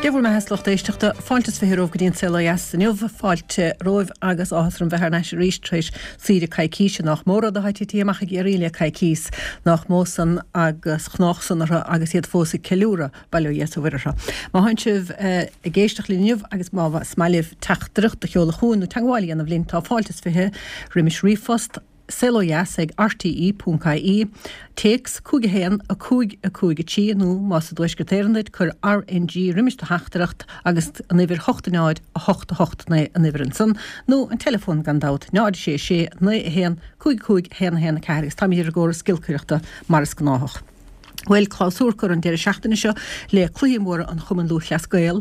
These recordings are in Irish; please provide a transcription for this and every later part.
Dé bhur mbeatha a lucht éisteachta, fáilte is 20 romhaibh go dtí an Saol Ó Dheas inniu. Fáilte romhaibh agus áthas orm bheith thar n-ais arís tar éis saoire coicíse. Nách mó rud atá titithe amach i gCiarraí le coicís. Nách mó san agus chnách san orthu agus iad fós ag ceiliúradh, bail ó Dhia is ó Mhuire orthu. Má thánn sibh ag éisteacht linn inniu agus má is maith libh teachtaireacht a sheoladh chugainn nó teagmháil a dhéanamh linn tá fáilte is 20 roimis ríomhphost, saolodheas ag rte.ie, téacs 5 1 5 5 3 nó más i dTuaisceart Éireann duit, cuir RNG roimis do theachtaireacht agus an uimhir 8 0 8 8 9 an uimhir ansan, nó an teileafón gan dabht, 0 6 6 9 1 5 5 1 1 4 agus táimid ar an gcóras giolcaireachta mar is gnáthach. Bhuel, clabhsúr curtha an deireadh seachtaine seo le cluichí móra an Chumainn Lúthchleas Gael,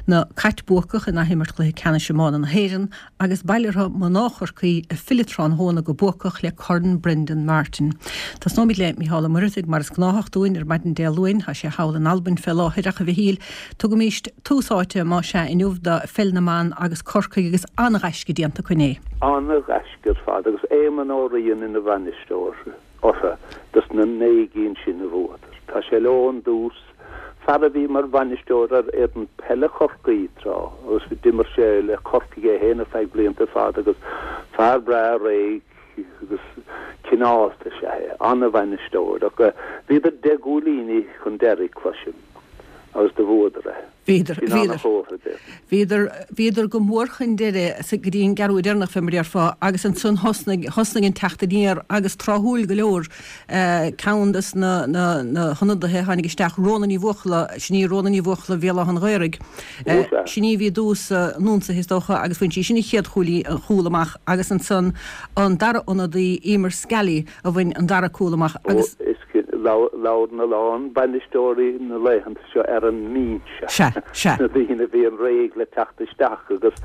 na Cait buacach in athimirt chluiche ceannais iomána na hÉireann agus bail orthu mná Chorcaí ag filleadh tráthnóna go buacach le Corn Brendan Martin. Tosnóimid le Mícheál Ó Muircheartaigh mar is gnáthach dúinn ar maidin Dé Luain. Tá sé thall in Albain fé láthair ach a Mhichíl, tugaimíst tús áite más ea inniu do pheil na mban agus Corcaigh agus an-ghaisce déanta acu inné. An-ghaisce ar fad agus Éamonn Ó Riain ina bhainisteoir. orthu dos na 9 gcinn sin a bhuadar. Tá sé leo ón dtús, fear a bhí mar bhainisteoir ar fhoireann peile Chorcaí tráth agus d'imir sé le Corcaigh é féin ar feadh blianta fada agus fear breá réidh agus cineálta is ea é. An-bhainisteoir ach bhíodar deich gcúilíní chun deiridh, cloisim, agus do bhuadar é. Bhíodar, bhíodar, bhíodar, bhíodar go mór chun deiridh sa, go dtí an gceathrú deireanach fé mar a déarfá agus ansan thosnaigh, thosnaigh an teacht aniar agus tráthúil go leor, ceann des na, na, na hionadaithe a tháinig isteach, Rhona Ní Bhuachalla, sin í Rhona Ní Bhuachalla Bhéal Átha an Ghaorthaidh, sin í a bhí i dtús na n-ionsaithe is dócha agus bhain sí sin an chéad chúilín, an chúl amach agus ansan an dara ionadaí, Emer Scally, a bhain an dara cúl amach agus. Ó, is labhrann a lán bainisteoirí na laethanta seo ar an mbinse, Sea, sea. na daoine a bhíonn réidh le teacht isteach agus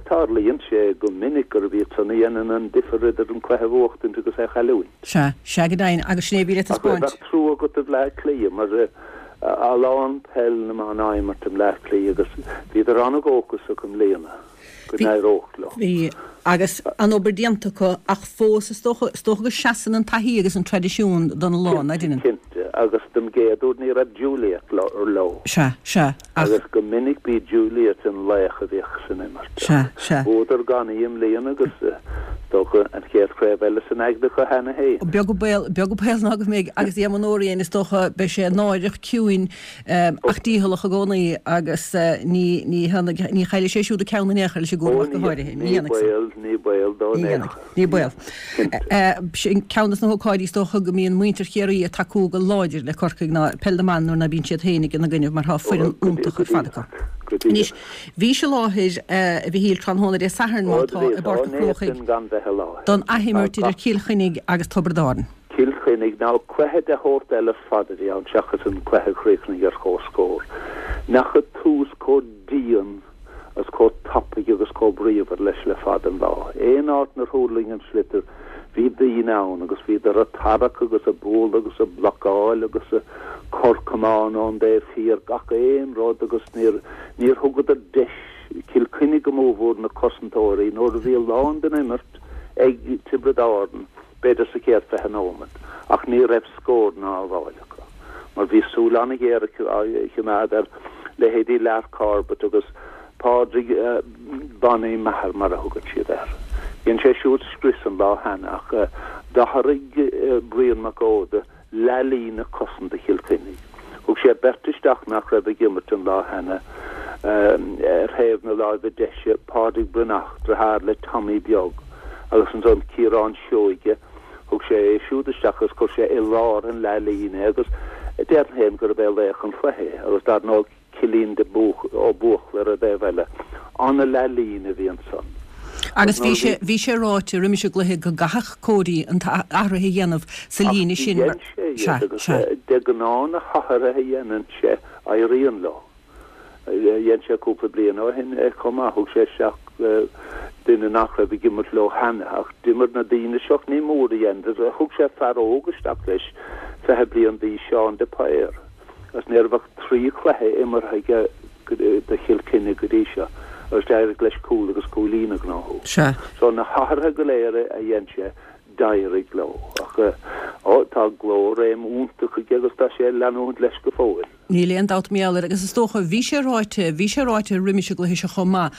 tarlaíonn sé go minic gurb iad san a dhéanann an difear idir an cluiche a bhuachtaint agus é a chailliúint. Sea, sea go deimhin agus sin é a bhí le Ach taispeáint. bheadh trua agat do Bhleá Cliath mar a lán peil na mban á imirt i mBleá Cliath agus bhíodar an-dhóchasach i mbliana. go n-éireodh leo. Bhí, agus an-obair déanta acu, ach fós is dócha, is dócha go seasann an taithí agus an traidisiún don lá, ná deineann? Cinnte, cinnte, agus don gcéad uair ní raibh Juliet leo. Sea, sea, ach. Agus go minic b'í Juliet an laoch a bhíodh san imirt. Sea, sea. Bhuadar gan í i mbliana agus is dócha an chéad chraobh eile san aigne acu cheana féin. Beag an baol, beag an baol ná go mbeidh, agus Éamonn Ó Riain, is dócha, beidh sé náireach ciúin Ach dícheallach i gcónaí agus ní ní ní chaillfidh sé siúd a ceann in aon chor leis an gcúram ach go háirithe. Ní dhéanfaidh san. Ní baol dó in aon chor. Ní baol. Sin ceann de na hócáidí is dócha go mbíonn muintir Chiarraí ag tacú go láidir le Corcaigh ná peil na mban nuair ná bíonn siad féin ina gcoinnibh mar tá foireann iontach ar fad acu. Anois, bhís i láthair, a Mhichíl, tráthnóna Dé Sathairn má tá, i bPáirc an Chrócaigh don athimirt idir Cill Chainnigh agus Tiobraid Árann. Cill Chainnigh, Now cluiche de shórt eile ar fad a bhí ann seachas an cluiche a chríochnaigh ar comhscór. N'fheaca tús chomh dian agus chomh tapaidh agus chomh bríomhar leis le fada an lá. Aon áit 'nar thuirling an sliotar bhí daoine ann agus bhíodar a' tarrac agus a' bualadh agus a' blocáil agus a' cur camán ón dtaobh thiar, gach aon rud agus níor, níor thugadar deis Cill Chainnigh go mórmhór na cosantóirí nuair a bhí a lán den imirt ag Tiobraid Árann. b'fhéidir sa chéad 20 nóiméad, ach ní raibh scóranna á bhfáil acu mar bhí súil an-ghéar á choimeád ar leithéidí Lar Corbett agus Pádraig Bonny Maher mar a thugann siad air. Dhein sé siúd scrios an lá cheana ach d'athraigh Brian Mac Óda leathlíne cosanta Chill Chainnigh. Thug sé beirt isteach nach raibh ag imirt an lá cheana ar thaobh na láimhe deise, Pádraig Breathnach, driotháir le Tommy Beag, agus ansan Ciarán Seoige, thug sé é siúd isteach agus chuir sé i lár an leathlíne é agus déarfainn féin gurb é laoch an chluiche é agus dar ndóigh Cillian de Ó Buachalla ar an dtaobh eile. Ana-leathlíne a bhí ansan. Agus bhí sé, bhí sé ráite roimis an gcluiche go gcaithfeadh Cody an t-athruithe a dhéanamh sa líne sin mar, Ach dhein sé iad agus de ghnáth na hathruithe a dhéanann sé éiríonn leo. Dhein sé cúpla bliain ó shin é chomh maith, thug sé isteach duine nach raibh ag imirt leo cheana ach d'imir na daoine seo, ní mór a dhein, thug sé fear óg isteach leis, 20 bliain d'aois, Seán de Paor. Agus ní raibh ach 3 chluiche imeartha aige do Chill Chainnigh go dtí seo agus d'éirigh leis cúl agus cúilín a ghnóthú. Sea. So na hathruithe go léir a dhein sé, d'éirigh leo. Ach ó, tá glór-réim iontach aige agus tá sé ag leanúint leis go fóill. Níl aon dabht mar gheall air agus is dócha, bhí sé ráite, bhí sé ráite roimis an gcluiche seo chomh maith,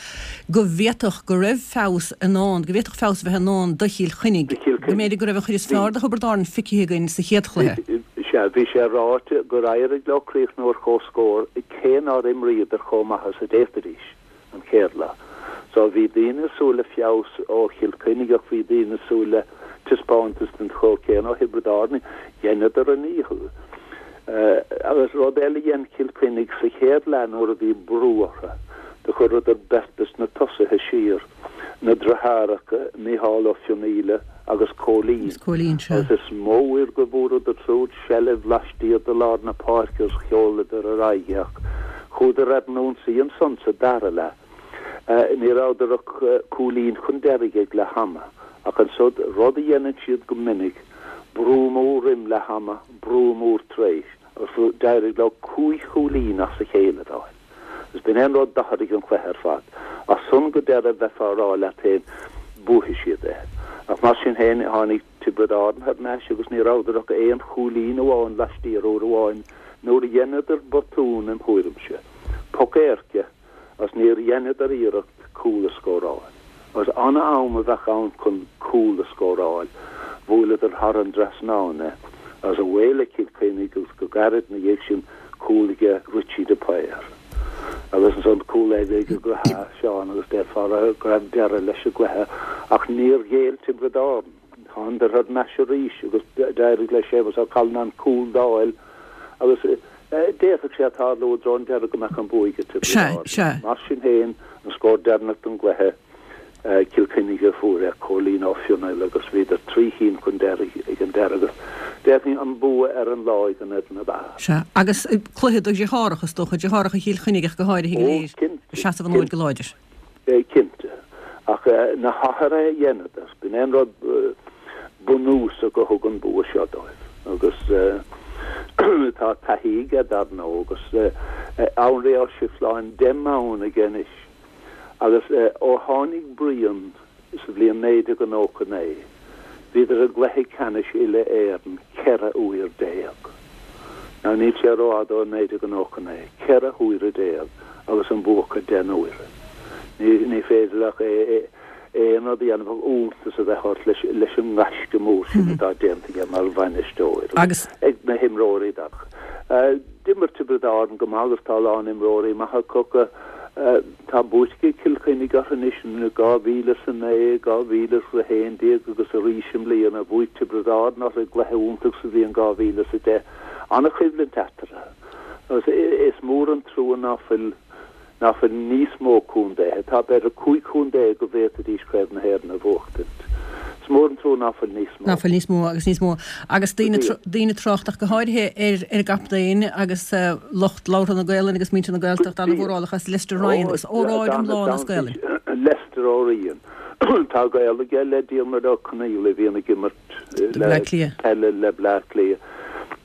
go bhféadfadh go raibh feabhas i ndán, go bhféadfadh feabhas a bheith i ndán do Chill Chainnigh, Do Chill go mb'fhéidir go raibh an chuid is fearr de Thiobraid Árann feicthe againn sa chéad chluiche. Sea, bhí sé ráite gur éirigh leo críochnú ar comhscór cé nár imríodar chomh maith is a d'fhéadfaidís. an chéad lá. So bhí daoine ag súil le feabhas ó Chill Chainnigh ach bhí daoine ag súil le taispeántas den sórt céanna ó Thiobraid Árann. Dheineadar a ndícheall. Agus rud eile a dhein Cill Chainnigh sa chéad leath nuair a bhí brú orthu, do chuireadar beirt des na tosaithe siar, na deartháireacha Micheál Ó Fionnaíle agus Cóilín. Agus is mó uair go bhfuaireadar siúd seilbh laistiar de lár na páirce agus sheoladar ar aghaidh é ach chuadar ar an ionsaí ansan sa dara leath. Ní rabhadar ach cúilín chun deiridh ag leath ama ach ansud, rud a dhéanann siad go minic, brú mór roim leath ama, brú mór tar éis agus d'éirigh leo cúig chúilín as a chéile a fháil. Agus b'in é an rud d'athraigh an cluiche ar fad. As san go deireadh bheifeá a rá leat féin, buafaidh siad é. Ach mar sin féin, tháinig Tiobraid Árann thar n-ais agus ní rabhadar ach aon chúilín amháin laistiar uair amháin nuair a dheineadar botún im thuairimse. Poc éirce agus níor dheineadar iarracht cúl a scóráil. Agus ana-am a bheadh ann chun cúl a scóráil. Bhuaileadar thar an dtrasnán é agus away le Cill Chainnigh agus go gairid ina dhiaidh sin cúl aige Richie de Paor. Agus ansan cúl eile ag Seán agus déarfá go raibh deireadh leis an gcluiche ach níor ghéill Tiobraid Árann. Thánadar thar n-ais arís agus d'éirigh le Séamus Ó Callanáin cúl d'fháil agus d'fhéadfadh sé tarlú i dtreo an deiridh go mbeadh an bua ag Tiobraid Árann. Mar sin féin, an scór deireanach don gcluiche, Cill Chainnigh a fuair é, Cóilín Ó Fionnaile agus bhíodar trí chinn chun deiridh ag an deireadh agus déarfainn an bua ar an lá ag an fhoireann ab fhearr. Sea, agus cluiche do dheartháireacha, is dócha, deartháireacha Chill Chainnigh ach go háirithe go léir, ag seasamh an fhóid go láidir. Cinnte. Ach na hathruithe a dheineadar, b'in é an rud bunúsach a thug an bua seo dóibh. Agus tá taithí aige, dar ndóigh, agus Anraí Ó Sifleáin 10 mbonn aige anois. Agus ó tháinig Brian sa bhliain 1999, bhíodar i gcluiche ceannais uile-Éireann 14 uair. Now níl sé rófhada ó 1999, 14 huaire agus an bua acu 10 n-uaire. Ní féidir ach aon rud a dhéanamh ach iontas a bheith ort leis an ngaisce mór sin atá déanta aige mar bhainisteoir agus ag na himreoirí. D'imir Tiobraid Árann go maith agus tá a lán imreoirí maithe acu. Tá buaite ag Cill Chainnigh orthu anois in 2009, 2011 agus arís i mbliana. Bhuaigh Tiobraid Árann orthu i gcluiche iontach sa bhliain 2010. An-choimhlint eatarthu agus is mór an trua ná fuil ná fuil níos mó contaetha. Tá b'fhéidir 15 chontae go bhféadfaidís Craobh na hÉireann a bhuachtaint. Is mór an trua ná fuil níos mó. Ná fuil níos mó agus níos mó. Agus daoine, daoine ag trácht ach go háirithe ar ar an gcaptaen agus lucht labhartha na Gaelainne agus muintir na Gaeltachta ana-mhórálach as Lester Ryan agus óráid iomlán as Gaelainn. Lester Ó Riain. Tá gaol aige le Diarmuid Ó Conghaile a bhíonn ag imirt le peile le Bleá Cliath.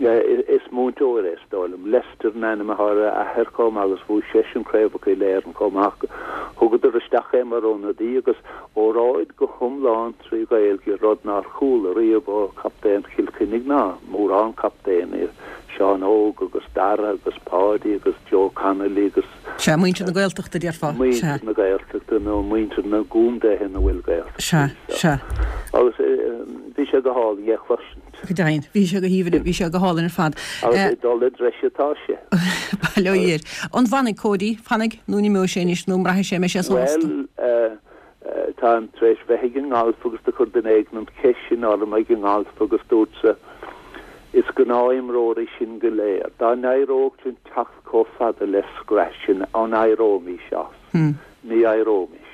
Is múinteoir é is dóigh liom. Lester an ainm atá ar a athair chomh maith agus bhuaigh seisean craobhacha uile-Éireann chomh maith. Thugadar isteach é mar ionadaí agus óráid go hiomlán trí Ghaeilge, rud nár chuala riamh ó chaptaen Chill Chainnigh ná mórán captaenaí, Seán Óg agus Dara agus Páidí agus Joe Connolly agus. Sea, muintir na Gaeltachta, déarfá. Muintir na Gaeltachta nó muintir na gcontaetha ina bhfuil Gaeltachtaí. Sea, sea. Agus bhí sé go hálainn é a chloisint. Go deimhin, bhí sé go haoibhinn, bhí sé go hálainn ar fad. Agus ag dul i dtreis atá sé. Bail ó Dhia air. An bhfanfaidh Cody? Fanfaidh nó an imeoidh sé anois nó an mbraithfidh sé an mbeidh sé sásta? Bhuel, Táim tar éis bheith ag an ngalf agus do chuir duine éigin an cheist sin orm ag an ngalf agus dúrtsa, Is gnáthimreoirí sinn go léir. Dá n-éireodh linn teacht chomh fada le scratch, an éireoimis as? Ní éireoimis.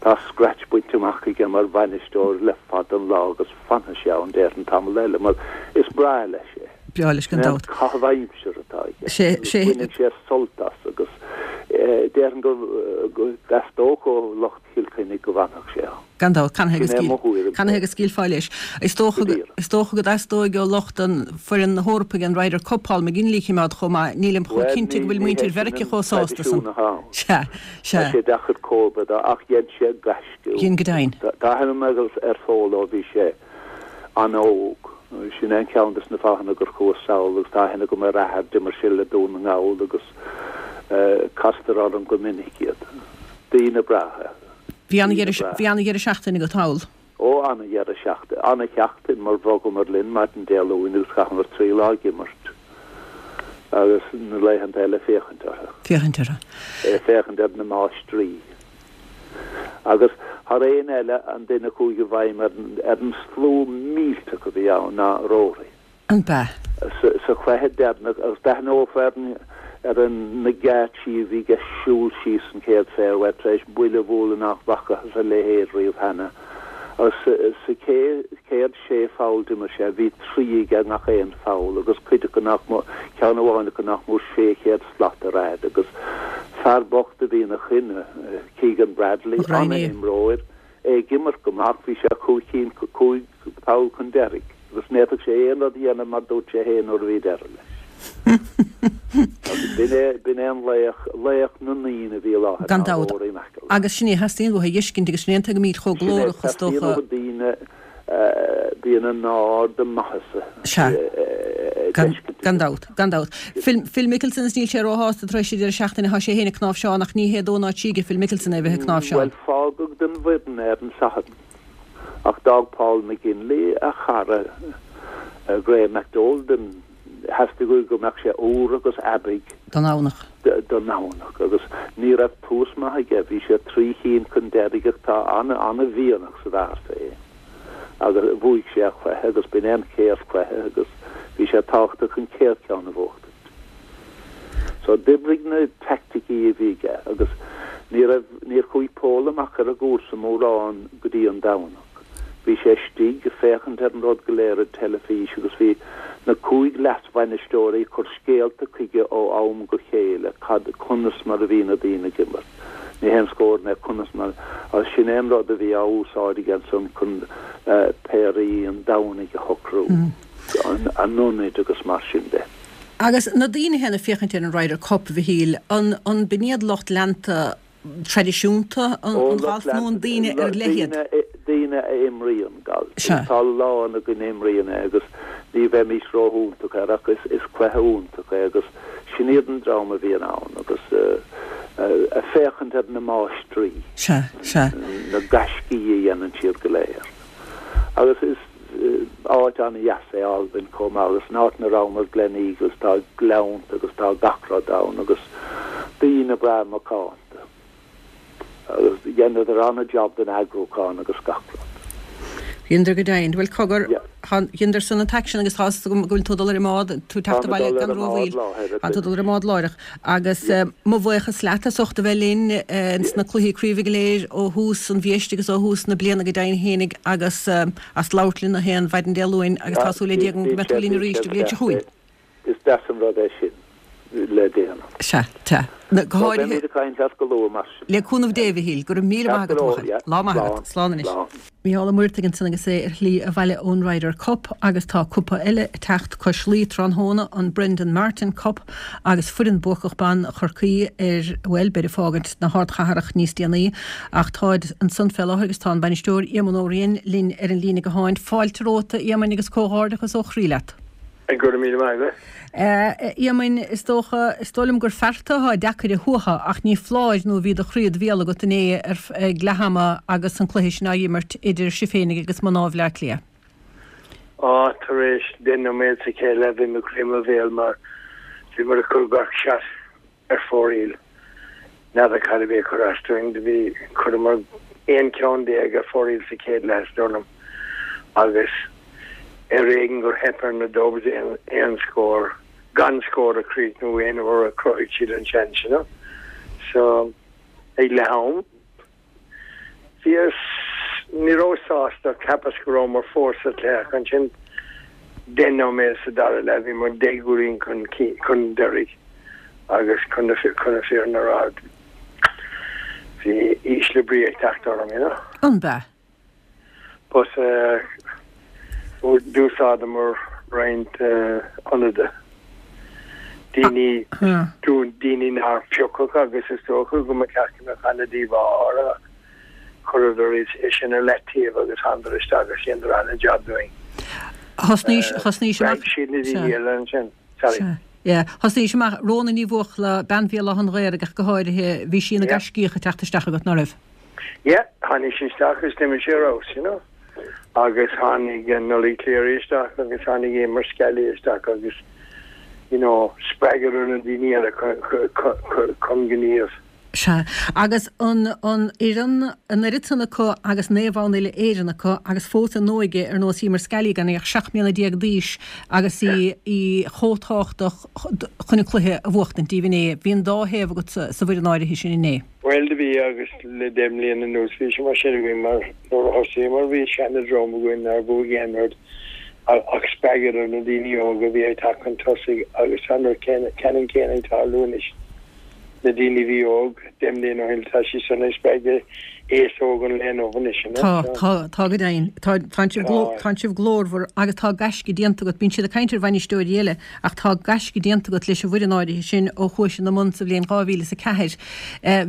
Tá scratch bainte amach aige mar bhainisteoir le fada an lá agus fanfaidh sé ann déarfainn tamall eile mar is breá leis é. Breá leis gan dabht. Caitheamh aimsire atá aige. Sé, sé. Baineann sé sult as agus déarfainn go dteastódh ó lucht Chill Chainnigh go bhfanfadh sé ann. Gan dabht. Canathaobh go scaoil, canathaobh go scaoilfeá leis. Is dócha, is dócha go dteastóidh ó lucht an foireann na hEorpa an Ryder Cup Paul McGinley a choimeád chomh maith. Nílim chomh cinnte go bhfuil muintir Mheiriceá chomh sásta san. Sea, sea. Tá sé deacair comharba dó ach dhein sé gaisce. Dhein go deimhin. Tá aithne agam ar Phól ó bhí sé an-óg. Sin é an ceann des na fáthanna gur chuas sall agus tá aithne agam ar a athair, d'imir sé le Dún na nGall agus castar orm go minic iad. Daoine breátha. Bhí ana-dheireadh seachtaine agat thall. Ó, ana-dheireadh seachtaine, ana-sheachtain mar bhogamar linn maidin Dé Luain agus chaitheamar 3 lá ag imirt agus na laethanta eile féachaint orthu. Féachaint orthu. Féachaint ar na máistrí. Agus thar aon eile an duine a chuaigh i bhfeidhm ar an slua millteach a bhí ann ná Rory. An b'ea? Sa chluiche deireanach, agus d'aithneofá ar ar na geáitsí a bhí aige siúl síos an chéad fairway tar éis buille a bhualadh nach bhfacathas a leithéid riamh cheana. Agus sa chéad sé pholl d'imir sé, bhí 3 aige i ngach aon pholl agus cuid acu nach mó, ceann amháin acu nach mór 600 slat ar fhad agus fear bocht a bhí ina choinne, Keegan Bradley, an-imreoir, é ag imirt go maith ach bhí sé cúig chinn, cúig pholl chun deiridh agus ní fhéadfadh sé aon rud a dhéanamh mar dúirt sé féin nuair a bhí deireadh leis. Agus b'in é, b'in é an laoch, laoch na ndaoine a bhí i láthair Gan dabht. Rory McIlroy. Agus sin é a theastaíonn uathu a fheiscint agus sin é an tuige go mbíd chomh Sin é, glórach is teastaíonn dócha. uathu daoine, bíonn an ard a maitheasa Sea. ag Gan, feiscint gan dabht, gan dabht. Phil, Phil Mickelson is níl sé róshásta tar éis an deireadh seachtaine, tá sé féin ag cnáimhseán ach ní hé dó ná trí aige Phil Mickelson é a bheith ag cnáimhseán. Bhuel, fágadh den bhfoireann é ar an Satharn. Ach d'fhág Paul McGinley a chara Graham McDowell den theastaigh uaidh go mbeadh sé úr agus aibidh don Domhnach. don Domhnach agus ní raibh tús maith aige, bhí sé trí chinn chun deiridh ach tá an-mhianach sa bhfear féin agus bhuaigh sé a chluiche agus b'in é an chéad chluiche agus bhí sé tábhachtach an chéad cheann a bhuachtaint. So d'oibrigh na teaicticí a bhí aige agus ní raibh, níor chuaigh Paul amach ar an gcúrsa mórán go dtí an Domhnach. Bhí sé istigh ag féachaint ar an rud go léir ar teilifís agus bhí na cúig leas-bhainisteoirí ag cur scéalta chuige ó am go chéile cad, conas mar a bhí na daoine ag imirt. Ní haon scór mé conas mar, agus sin é an rud a bhí á úsáid aige ansan chun péirí an Domhnaigh a shocrú. a n-ionaid agus mar sin de. Agus na daoine féin ag féachaint ar an Ryder Cup, a Mhichíl, an an b'in iad lucht leanta traidisiúnta an Ó, lucht ghailf nó an leanta, daoine ar leith iad? daoine, daoine a imríonn galf. Sea. Tá a lán againn a imríonn é agus ní bheimis rófhiúntach air ach is, is cluiche iontach é agus sin iad an dream a bhíonn ann agus ag féachaint ar na máistrí, Sea, sea. na gaiscí a dhéanann siad go léir. Agus is áit an-dheas é Albain chomh maith agus an áit 'na rabhamar, Gleneagles, tá gleannta agus tá gach rud ann agus daoine breá macánta agus dheineadar an-jab den eagrúchán agus gach rud. Dheineadar go deimhin. Bhuel, cogar, Yeah. dheineadar san an t-aicsean agus tá's agam go bhfuil tú ag dul ar an mbád, tú ag Tá teacht mé ag abhaile dul ar gan an mbád rómhoill. láithreach. Tá tú ag dul ar an mbád láithreach. Agus Yeah. mo bhuíochas leat as ucht a bheith linn ins na cluichí craoibhe go léir ó thús an mhí agus ó thús na bliana go deimhin fhéinig agus as labhairt linn gach aon mhaidin Dé Luain agus Ah, tá súil le Dia agam go bíonn mbeidh sé, tú linn bíonn arís sé an bhliain seo chugainn. Is deas an rud é sin le déanamh. Sea, sea. Go So háirithe beimid ag caint leat go luath mar sin. le cúnamh Dé, a Mhichíl. Go raibh míle maith Ceart go agat, a leor, bhuachaill. yeah. Lá maith Slán, agat. Slán anois. slán. Mícheál Ó Muircheartaigh ansan agus é ar shlí abhaile ón Ryder Cup agus tá cupa eile ag teacht cois Laoi tráthnóna, an Brendan Martin Cup agus foireann buacach ban Chorcaí ar, bhuel, beid ag fágaint na hardchathrach níos déanaí ach táid ansan fé láthair agus tá an bainisteoir Éamonn Ó Riain linn ar an líne gutháin. Fáilte romhat a Éamoinn agus comhghairdeachas ó chroí leat. Go raibh míle maith agat. A Éamoinn, is dócha, is dóigh liom gur fearta atá deacair a shuaitheadh ach ní foláir nó bhí do chroí id bhéal agat inné ar ag leath ama agus an cluiche sin á imirt idir sibh féinig agus mná Bhaile Átha Cliath. Á, tar éis deich nóiméad sa chéad leath bhí mo chroí i mo bhéal mar bhíomar ag cur gach shot ar fóraoil. N'fheadar cad a bhí ag cur as dúinn. Do bhí, chuireamar 11 ceann ar fóraoil sa chéad leath, is dóigh liom, agus ar éigean gur theip ar na Dubs aon, aon scór, gan scór a chríochnú aon uair a chruthaigh siad an seans, you know. So, ag leath am, Bhíos, ní rabhas sásta ach cheapas go rabhamar fós sa chluiche ach ansin deich nóiméad sa dara leath bhí muid deich gcúilín chun chun deiridh agus chun na chun na fírinne a rá bhí ísle brí ag teacht orm, you know. An b'ea? But d'úsáideamar roinnt ionadaithe, daoine, daoine nár piocadh agus is dócha go mba cheart go mbeadh an-díomá orthu ach chuireadar é sin ar leataobh agus thánadar isteach agus dheineadar an-jab dúinn. Thosnaís, thosnaís amach. Spreag siad na daoine eile ansin. Sorry. Sea. Yeah. Thosnaís amach, Rhona Ní Bhuachalla, bean Bhéal Átha an Ghaorthaidh ach go háirithe, bhí sí ina gaiscíoch ag teacht isteach agat, ná raibh? Yeah, tháinig sí isteach agus d'imir sí ar fheabhas, you know. Agus tháinig Nollaig Cleary isteach agus tháinig Emer Scally isteach agus, you know, spreagadar na daoine eile chun gníomh. Sea. Agus an an fhoireann, an oiread san acu agus naomh-bhonn uile-Éireann acu agus fós a n-óige ar nós Emer Scally gan í ach 17 mbliana d'aois agus í í chomh tábhachtach chun an cluiche a bhuachtaint daoibh inné. Bhí an dá thaobh agat sa sa bhfoireann áirithe sin inné. Bhuel do bhí agus le deich mbliana anuas bhí sé mar sin againn mar nuair a thosaíomar bhí seana-dhream againn nár bhuaigh aon rud ach spreagadar na daoine óga a bhí ag teacht chun tosaigh agus tá an rud ceannann céanna ag tarlú anois. Na daoine a bhí óg deich mbliana ó shin, tá siad san ag spreagadh aos óg an lae inniu anois, you know. Tá, tá, tá go deimhin. Tá, tánn sibh gló, tánn sibh glórmhar agus tá gaisce déanta agat. Bíonn siad ag caint ar bhainisteoirí eile ach tá gaisce déanta agat leis an bhfoireann áirithe sin ó chuais ina mbun sa bhliain 2004.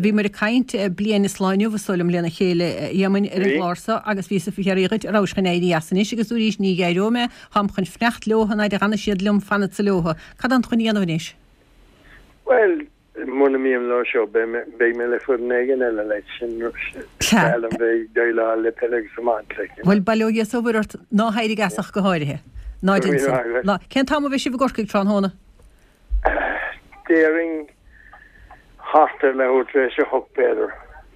Bhíomar ag caint bliain is lá inniu, is dóigh liom, lena chéile, a Éamoinn, ar an gclár so agus bhíos ag fiafraí dhuit an rabhais chun éirí as anois agus dúraís ní éireoidh mé, táim chun fanacht leotha an fhaid a dh'fhanfaidh siad liom fanfadsa leotha. Cad tánn tú chun a dhéanamh anois? Bhuel, muna mbím leo seo, beidh mé, beidh mé le foireann éigin eile, like, sin, sin, Sea. is breá liom bheith ag déileáil le peil agus iomáint, like, you know. Bhuel, bail ó Dhia is ó Mhuire ort, ná héirigh as ach go háirithe. Ná Go raibh déan san. maith agat. Ná, cén t-am a bheidh sibh i gCorcaigh tráthnóna? Déarfainn thart ar leathuair tar éis a hocht, b'fhéidir.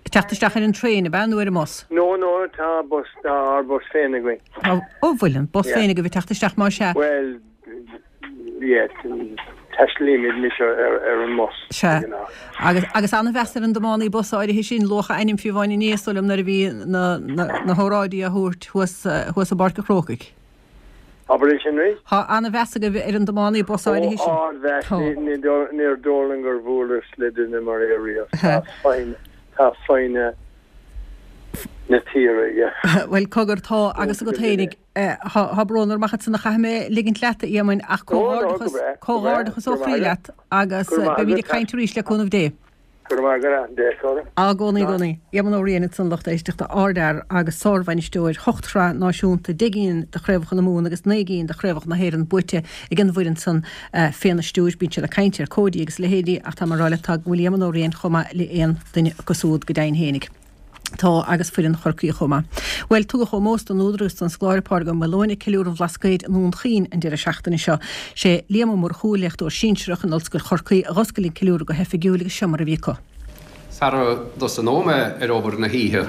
Ag teacht isteach ar an traein, ab ea, nó ar an mbus? No, no, tá bus, tá ár bus féin againn. Tá, ó, bhfuil an bus Yeah. féin agaibh ag teacht isteach, más ea. Bhuel, Yeah, taistealaímid anois ar an mbus. Sea. Agus, agus an-mheas ar an dtiománaí bus áirithe sin, luadh a ainm fiú amháin inné, is dóigh liom, nuair a bhí na, na, na hóráidí á thabhairt thuas, thuas i bPáirc an Chrócaigh. Abair é sin arís? Tá an-mheas agaibh ar an dtiománaí bus áirithe sin. Ó, ardmheas. Tá. Ní, níor dóigh liom gur bhuaileas le duine mar é riamh. Tá foighne, tá foighne na tíre aige. Bhuel, cogar, tá, agus agat fhéinig. Tá brón orm ach ansan a chaithfidh mé ligint leat, a Éamoinn, ach comhghairdeachas, comhghairdeachas ó chroí leat agus beimid ag caint arís le cúnamh Dé. Go raibh maith agat, a Dé. I gcónaí, i gcónaí. Éamonn Ó Riain ansan, lucht éisteachta, ardfhear agus sárbhainisteoir, hocht shraith náisiúnta, deich gcinn de chraobhacha na Mumhan agus naoi gcinn de chraobhacha na hÉireann buaite ag an bhfoireann san féna stiúir. Bíonn siad ag caint ar Cody agus a leithéidí ach tá mé ag rá leat tá go bhfuil Éamonn Ó Riain chomh maith le aon duine acu súd go deimhin fhéinig. Tá, agus foireann Chorcaí chomh maith. Bhuel, tugadh ómós don údar agus don scoláire Pádraig Ó Maoileoin ag Ceiliúradh an Bhlascaoid i nDún Chaoin an deireadh seachtaine seo. Sé Liam Ó Murchú, léachtóir sinsearach in Ollscoil Chorcaí, a dh'oscail an ceiliúradh go hoifigiúil agus seo mar a bhí acu. Sara dtosnóidh mé ar obair na hoíche,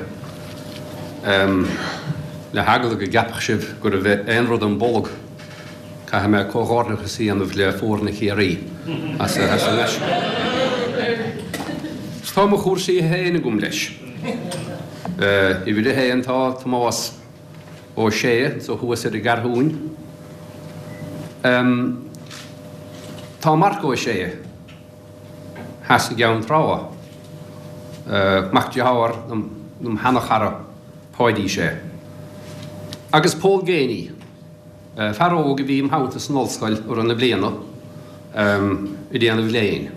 le heagla go gceapfadh sibh go raibh aon rud im bolg, Caithfidh mé comhghairdeachas a dhéanamh le foirne Chiarraí as a ngaisce. Is tá mo chúrsaí féin agam leis. Uimhir a haon tá Tomás Ó Sé anso thuas ar an gCeathrúin. Tá Marc Ó Sé theas i gCeann Trá, mac dearthár dom sheana-chara Páidí Sé. Agus Pól Geaney. Fear óg a bhí im theannta san ollscoil i rith na bliana ag déanamh léinn.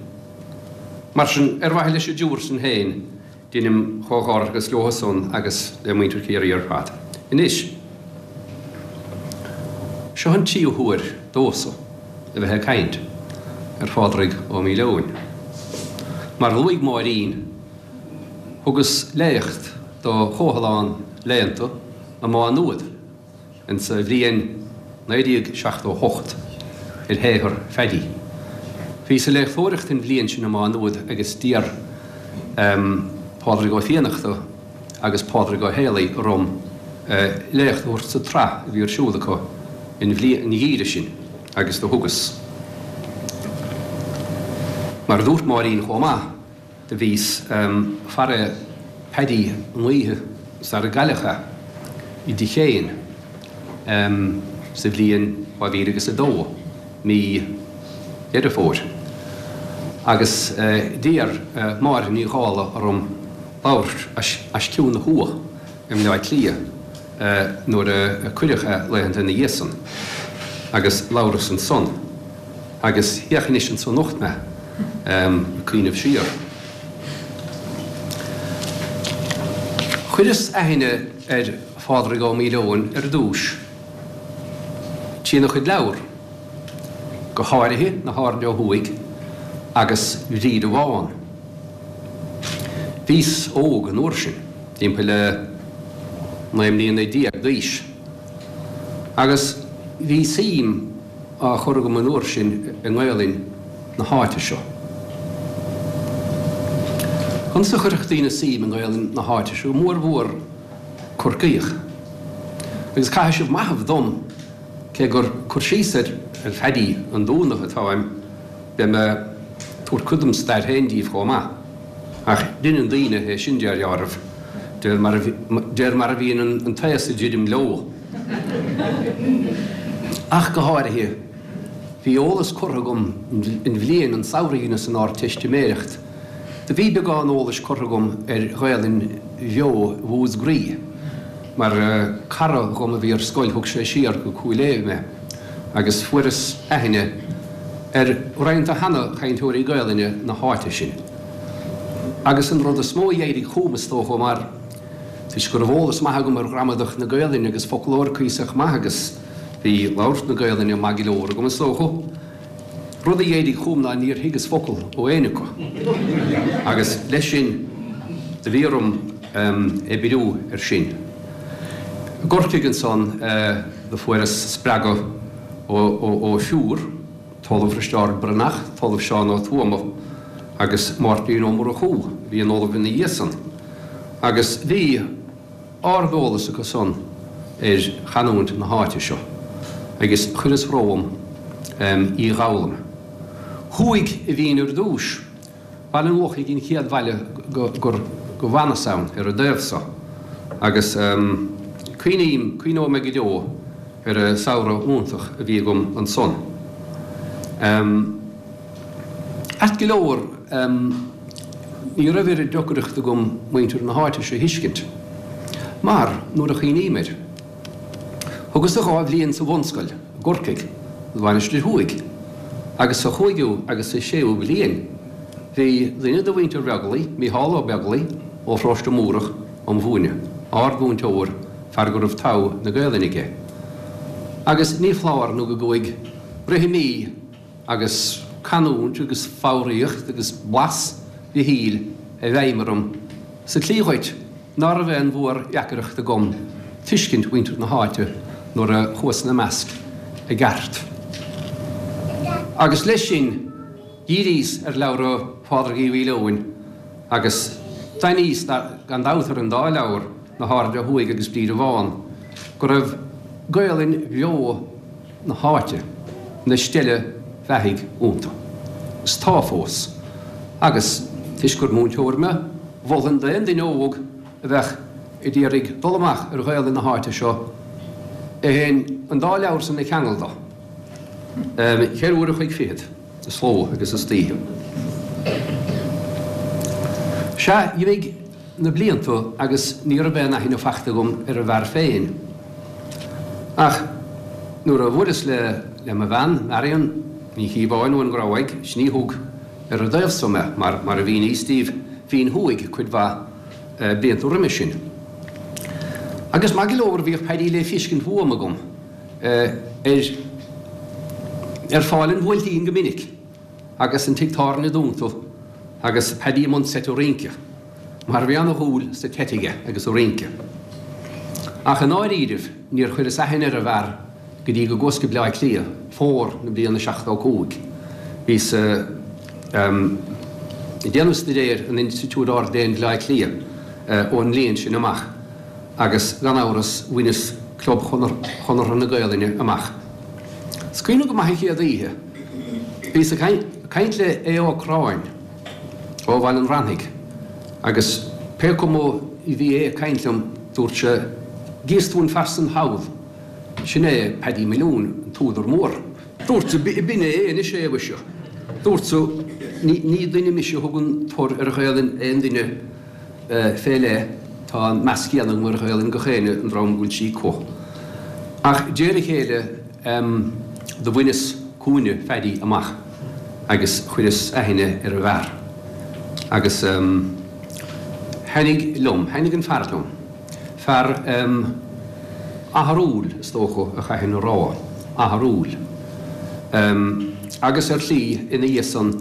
Mar sin, ar mhaithe leis an dtriúr san féin, deinim comhghairdeachas leo san agus le muintir Chiarraí ar fad. Anois, seo an tríú huair domhsa a bheith ag caint ar Phádraig Ó Maoileoin. Mar a luaigh Máirín, thugas léacht do Chomhthalán Léannta i Má Nuad, Insa bhliain 1978 ar shaothar Pheaidí. Bhíos ag léachtóireacht an bhliain sin i Má Nuad agus d'iarr Pádraig Ó Fiannachta agus Pádraig Ó Héalaí orm léacht a thabhairt sa tsraith a bhí ar siúl acu an gheimhreadh sin agus do thugas. Mar a dúirt Máirín chomh maith, Do bhíos faire Paddy an oíche sar a gcailleadh é i dTigh Sheáin sa bhliain 2002, mí Dheireadh Fómhair, agus d'iarr Máire Ní Dhálaigh orm labhairt as Ceann na hUadh i mBleá Cliath nuair a cuireadh é laethanta ina dhiaidh san, agus labhras ansan. Agus féach anois anso anocht mé ag cuimhneamh siar. Chuireas aithne ar Phádraig Ó Maoileoin ar dtús. Trína chuid leabhar, go háirithe Na hAirde Ó Thuaidh agus Bríde Bhán. Bhíos óg an uair sin, timpeall le 19 mbliana d'aois, agus bhí suim á chur agam an uair sin i nGaelainn na háite seo. Conas a chuirfeadh daoine suim i nGaelainn na háite seo, go mór mhór Corcaíoch? Agus caithfidh sibh maitheamh dom, cé gur cur síos ar Phaddy an Dúnaigh atáim, beidh mé ag tabhairt cuid dem stair féin díbh chomh maith. Ach deineann daoine é sin de dheáraimh, de réir mar a bhíonn an t-aos ag druidim leo. Ach go háirithe, bhí eolas curtha agam an bhliain, an samhradh a dheineas an Ardteistiméireacht. Do bhí beagán eolais curtha agam ar Ghaelainn bheo Mhúscraí, mar cara dhom a bhí ar scoil thug sé siar go Cúil Aodha mé agus fuaireas aithne ar roinnt de sheana-chainteoirí Gaelainne na háite sin. Agus an rud is mó a d'éirigh chugam is dócha mar toisc go raibh eolas maith agam ar ghramadach na Gaelainne agus foclóir cuíosach maith agus bhí labhairt na Gaelainne maith go leor agam is dócha. Rud a d'éirigh chugam ná níor thuigeas focal ó éinne acu agus leis sin do bhí orm oibriú ar sin. I gCorcaigh ansan do fuaireas spreagadh ó thriúr, tOllamh Risteárd Breathnach, tOllamh Seán Ó Tuama agus Máirtín Ó Murchú a bhí ina ollamh ina dhiaidh san agus bhí ard-eolas acu san ar chanúint na háite seo agus chuireas romham í dh'fhoghlaim. Thuaidh a bhínn ar dtúis. Baile an Lochaigh an chéad bhaile gur go bhfanas ann ar an dtaobh so agus cuimhním, cuimhneoidh mé go deo ar an samhradh iontach a bhí agam ansan. Ait go leor, ní raibh oiread deacrachta agam muintir na háite seo a thuiscint, mar, nuair a chuimhním air, thugas-sa 2 bhliain sa bhunscoil i gCorcaigh, sa Mhainistir Thuaidh, agus sa chúigiú agus sa séú bliain, bhí duine de mhuintir Bheaglaoich, Mícheál Ó Beaglaoich, ó Pharóiste Múrach, a'm mhúineadh, ard-mhúinteoir, fear go raibh togha na Gaelainne aige. Agus ní foláir nó go gcuaigh rithimí agus canúint agus foghraíocht agus blas Mhichíl i bhfeidhm orm sa tslí dhuit ná raibh aon mhór-dheacaireacht agam tuiscint mhuintir na háite nuair a chuas ina measc i gceart. Agus leis sin dhíríos ar leabhra Phádraig Uí Mhaoileoin agus d'aithníos gan dabht ar an dá leabhar, Na hAirde Thuaidh agus Bríde Bhán, go raibh Gaolainn bheo na háite, ina steille bheathaidh iontu. Is tá fós. Agus, toisc gur múinteoir mé, mholfainn d'aon duine óg a bheadh ag iarraidh dul amach ar Ghaolainn na háite seo é féin an dá leabhar san a cheangal do. Cheithre uair a chloig fichead is ló agus istoíche. Sea, d'imigh na blianta agus ní raibh aon aithne fachta agam ar an bhfear féin. Ach nuair a bhuaileas le le mo bhean, Marion Ní Chíobháin ón nGráig, sin í thug ar an dtaobh so mé, mar mar a mhíníos daoibh, bhínn thuaidh cuid mhaith blianta roime sin. Agus maith go leor bhíodh Paddy le feiscint uaim agam ar ar Pháil an Bhuailtín go minic. agus an tigh tábhairne dúnta agus Paddy i mbun seite rince, mar bhí ana-dhúil sa tseit aige agus sa rince. Ach i ndáiríribh níor chuireas aithne ar an bhfear go dtí go gcuas go Bleá Cliath, fómhar na bliana 75. Bhíos ag déanamh staidéir in Institiúid Ard-Léinn Bhleá Cliath ón mbliain sin amach agus gan amhras bhaineas Club Chonartha na Gaelainne amach. Is cuimhin liom go maith an chéad oíche. Bhíos ag caint le Aodh Ó Cráin ó Bhaile an Bhranaigh agus pé cuma a bhí é ag caint liom dúirt sé, 'Gíos tú an fear san thall, sin é Paddy Maloon, an t-údar mór. Dúrt-sa, 'B'in é anois é, mhuise. Dúrt-sa, 'Ní duine mise a thugann tor ar Ghaelainn aon duine fé leith, tá an meas céanna agam ar Ghaelainn gach éinne, an dream go bhfuil sí acu. Ach de réir a chéile do bhaineas cúinne Phaddy amach agus chuireas aithne ar an bhfear. Agus thaitnigh liom, thaitnigh an fear liom. Fear atharúil, is dócha, a chaithfinn a rá. atharúil. Agus ar shlí, ina dhiaidh san,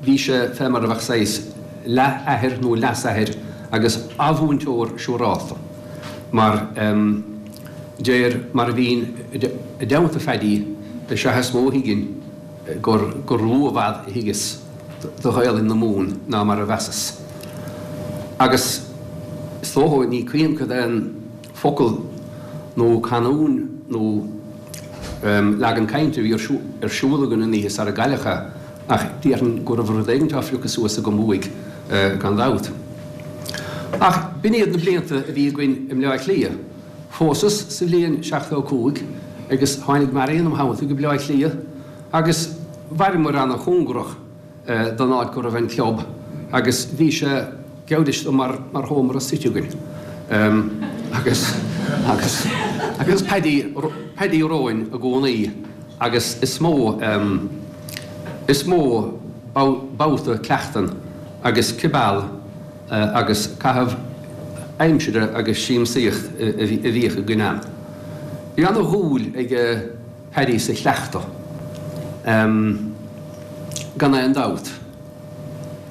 bhí sé fé mar a bheadh saghas leath-athair nó leas-athair agus a-mhúinteoir siúrálta, mar deir mar a bhínn i dteannta Pheaidí is ea is mó a thuiginn gur gur lú i bhfad a thuigeas do Ghaelainn na Mumhan ná mar a mheasas. Agus is dócha, ní cuimhin cad é an focal nó canúin nó leagan cainte a bhí ar siúl againn an oíche sara gcailleadh é, ach déarfainn go raibh rud éigin á phiocadh suas agam uaidh gan dabht. Ach b'in iad na blianta a bhí againn i mBleá Cliath. Phósas sa bhliain 75 agus tháinig Marion im theannta go Bleá Cliath agus mhaireamar ana-chóngarach don áit go raibh an club agus bhí sé, gabh leithscéal, mar mar sheomra suite againn agus agus agus Paddy Paddy romhainn i gcónaí agus is mó is mó babhta cleachtan agus cibeal agus caitheamh aimsire agus siamsaíocht a bhíodh againn ann. Bhí ana-dhúil ag Paddy sa chleachtadh, gan aon dabht,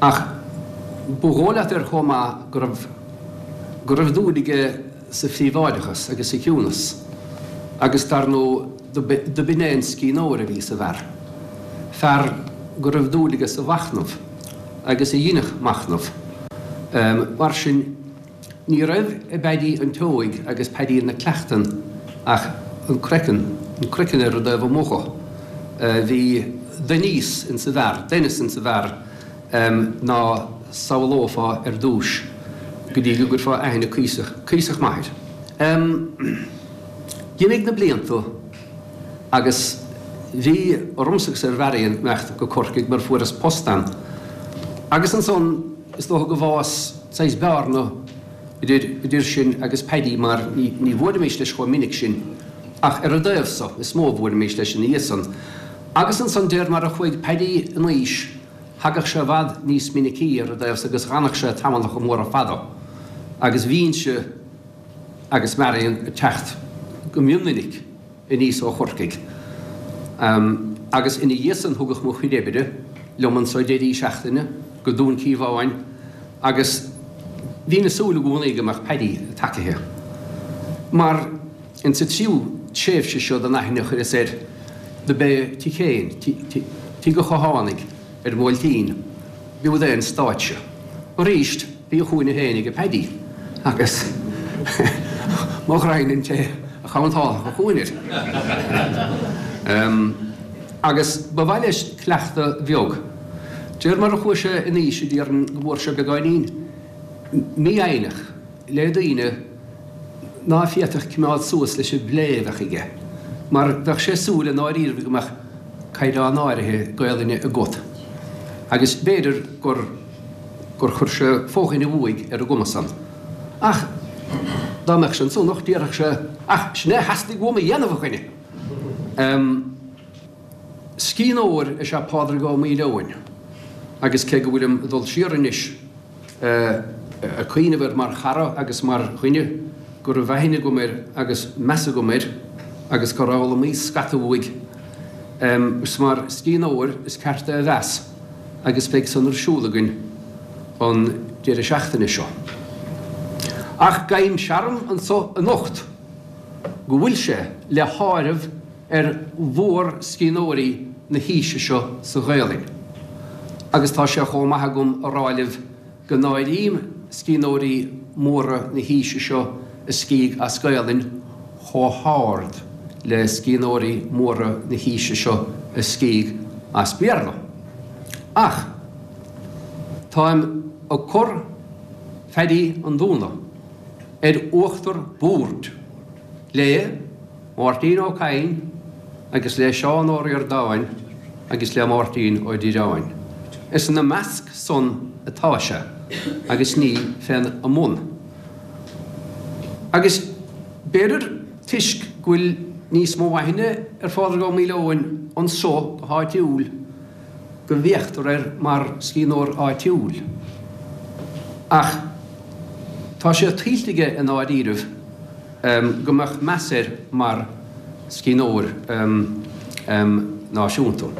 ach ba dhóigh leat air chomh maith go raibh go raibh dúil aige sa phríobháideachas agus sa chiúnas agus dar ndóigh do b'in é an scríbhneoir a bhí sa bhfear, fear go raibh dúil aige sa mhachnamh. agus a dheineadh machnamh. Mar sin, ní raibh i bPeaidí an tSeoighigh agus Peaidí na Cleachtan ach an craiceann, an craiceann ar an dtaobh amuigh dho. Bhí doinníos insa bhfear, doinneas insa bhfear ná samhlófá ar dtúis go dtí go gcuirfeá aithne cuíosach, cuíosach maith air. D'imigh na blianta. Agus bhí ormsa agus ar Mharion imeacht go Corcaigh mar fuaireas post ann. Agus ansan is dócha go bhfás saghas bearna idir, idir sinn agus Paddy mar ní, ní bhuailimis leis chomh minic sin ach ar an dtaobh so is mó a bhuailimis leis ina dhiaidh san. Agus ansan déir mar a chuaigh Paddy in aois thagadh sé i bhfad níos minicí ar an dtaobh so agus dh'fhanadh sé tamallacha móra fada agus bhínnse agus Marion ag teacht go mion-mhinic aníos ó Chorcaigh. Agus ina dhiaidh san thugadh mo chuid oibre liom anso deirí seachtaine go Dún Cíobháin agus bhínn ag súil i gcónaí go mbeadh Paddy tacaithe. Mar insa tríú tréimhse seo den aithne a chuireas air do b'é tigh Chéin, tigh an Chathánaigh ar an mBuailtín, b'iúd é an stáitse. Arís, bhí a chúinne féin aige Paddy agus mo ghraidhin an té a chontálfadh a chúinne air. Agus ba mhaith leis cleachtadh bheag. Déir mar a chuaigh sé in aois déarfainn go bhfuair sé beagáinín mífhoighneach. le daoine ná féadfadh cimeád suas leis an bplé a bheadh aige, mar bheadh sé ag súil i ndáiríribh go mbeadh caighdeán áirithe Gaelainne agat, agus b'fhéidir gur gur chuir sé fodhuine uaidh ar an gcuma san. Ach dá mbeadh sé anso anocht déarfadh sé, Ach sin é a theastaigh uaim a dhéanamh, a dhuine! Scríbhneoir is ea Pádraig Ó Maoileoin, agus cé go bhfuilim ag dul siar anois, ag cuimhneamh air mar chara agus mar dhuine go raibh aithne agam air agus meas agam air agus gur fhoghlaimíos scata uaidh. Is mar scríbhneoir is ceart é a mheas agus beidh san ar siúl againn an deireadh seachtaine seo. Ach gabhaim searm anso anocht go bhfuil sé le háireamh ar mhórscríbhneoirí na haoise seo sa Ghaelainn, agus tá sé chomh maith agam a rá libh go n-áirím scríbhneoirí móra na haoise seo a scrígh as Gaelainn chomh hard le scríbhneoirí móra na haoise seo a scrígh as Béarla. Ach táim ag cur Phaddy an Dúna ar uachtar boird le. Máirtín Ó Cadhain agus le Seán Ó Ríordáin agus le Máirtín Ó Direáin. Is ina measc san atá sé agus ní féna mbun. Agus b'fhéidir toisc go bhfuil níos mó aithne ar Phádraig Ó Maoileoin anso go háitiúil go bhféachtar air mar scríbhneoir áitiúil. Ach tá sé tuillte aige i ndáiríribh. go mbeadh meas air mar. scríbhneoir náisiúnta.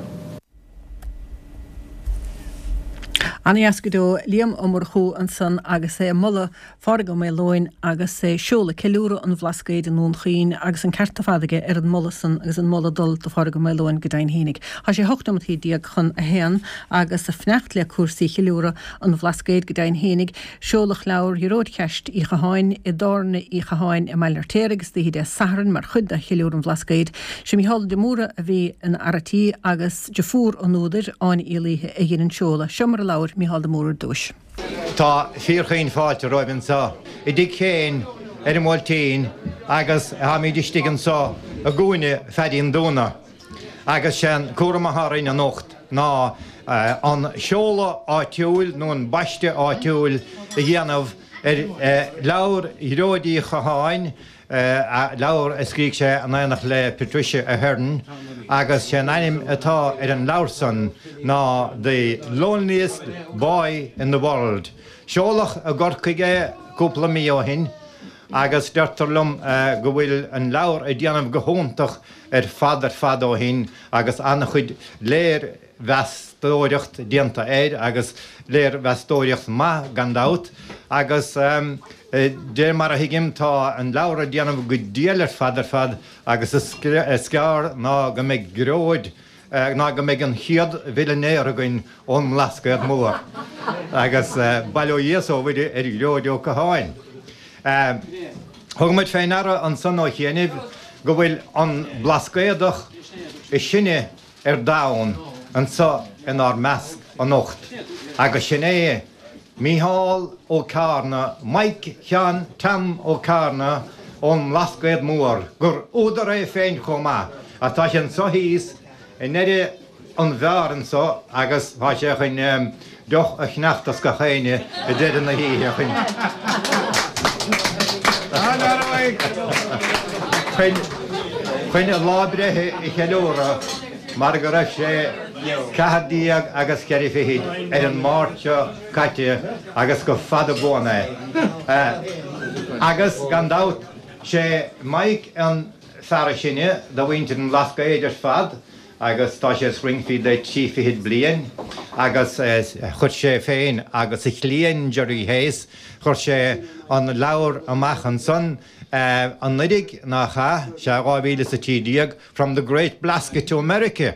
Ana-dheas go deo. Liam Ó Murchú ansan agus é ag moladh Phádraig Ó Maoileoin agus é ag seoladh Ceiliúradh an Bhlascaoid i nDún Chaoin agus an ceart ar fad aige ar an moladh san agus an moladh ag dul do Phádraig Ó Maoileoin go deimhin fhéinig. Tá sé 18 nóimeataí chun a haon agus ag fanacht le cúrsaí Cheiliúradh an Bhlascaoid go deimhin fhéinig. Seoladh leabhar Ghearóid Cheaist Uí Chatháin i dTábhairne Uí Chatháin i mBaile an Fheirtéaraigh istoíche Dé Sathairn mar chuid de Cheiliúradh an Bhlascaoid. Sé Mícheál de Mórdha a bhí ina fhear a' tí agus deirfiúr an údair, Áine Uí Laoithe, a dhein an seoladh. Seo mar a labhair Mícheál de Mórdha ar dtúis. Tá fíorchaoin fáilte romhaibh anseo i dtigh Chéin ar an mBuailtín agus táimíd istigh anseo i gcúinne Pheaidí an Dúna agus sé an cúram atá orainn anocht ná an seoladh áitiúil nó an baisteadh áitiúil a dhéanamh ar leabhar Ghearóid Uí Chatháin leabhar a scrígh sé in éineacht le Patricia Ahern agus sé an ainm atá ar an leabhar san ná The Loneliest Boy in the World. Seoladh i gCorcaigh é cúpla mí ó shin agus deirtear liom go bhfuil an leabhar ag déanamh go hiontach ar fad ar fad ó shin agus an-chuid léir mheastóireacht déanta air agus léirmheastóireacht maith gan dabht agus de réir mar a thuigim tá an leabhar ag déanamh go diail ar fad ar fad agus is gearr ná go mbeidh Gearóid ná go mbeidh an chéad mhillinéar againn ón mBlascaod Mór agus bail ó Dhia 's ó Mhuire ar Ghearóid Ó Catháin. Thug muid fé ndeara ansan ó chianaibh go bhfuil an Blascaodach is sine ar domhan anso inár measc anocht agus sin é Mícheál Ó Ceárna, Mike Sheáin Tom Ó Ceárna ón mBlascaod Mór, gur údar é féin chomh maith, ach tá sé anso thíos i ndeireadh an bheáir anso agus tá sé chun deoch a cheannacht as gach éinne i deireadh na hoíche chun chun a lá breithe a cheiliúradh mar go raibh sé 14 agus cheithre fichid ar an Máirt seo caite agus go fada buan é. Agus gan dabht sé Mike an fear is sine de mhuintir an Bhlascaoid ar fad agus tá sé os rince de thrí fichid bliain agus chuir sé féin agus a chliain Gerry Hayes, chuir sé an leabhar amach ansan anuiridh nach ea, sea, 2013, From the Great Blasket to America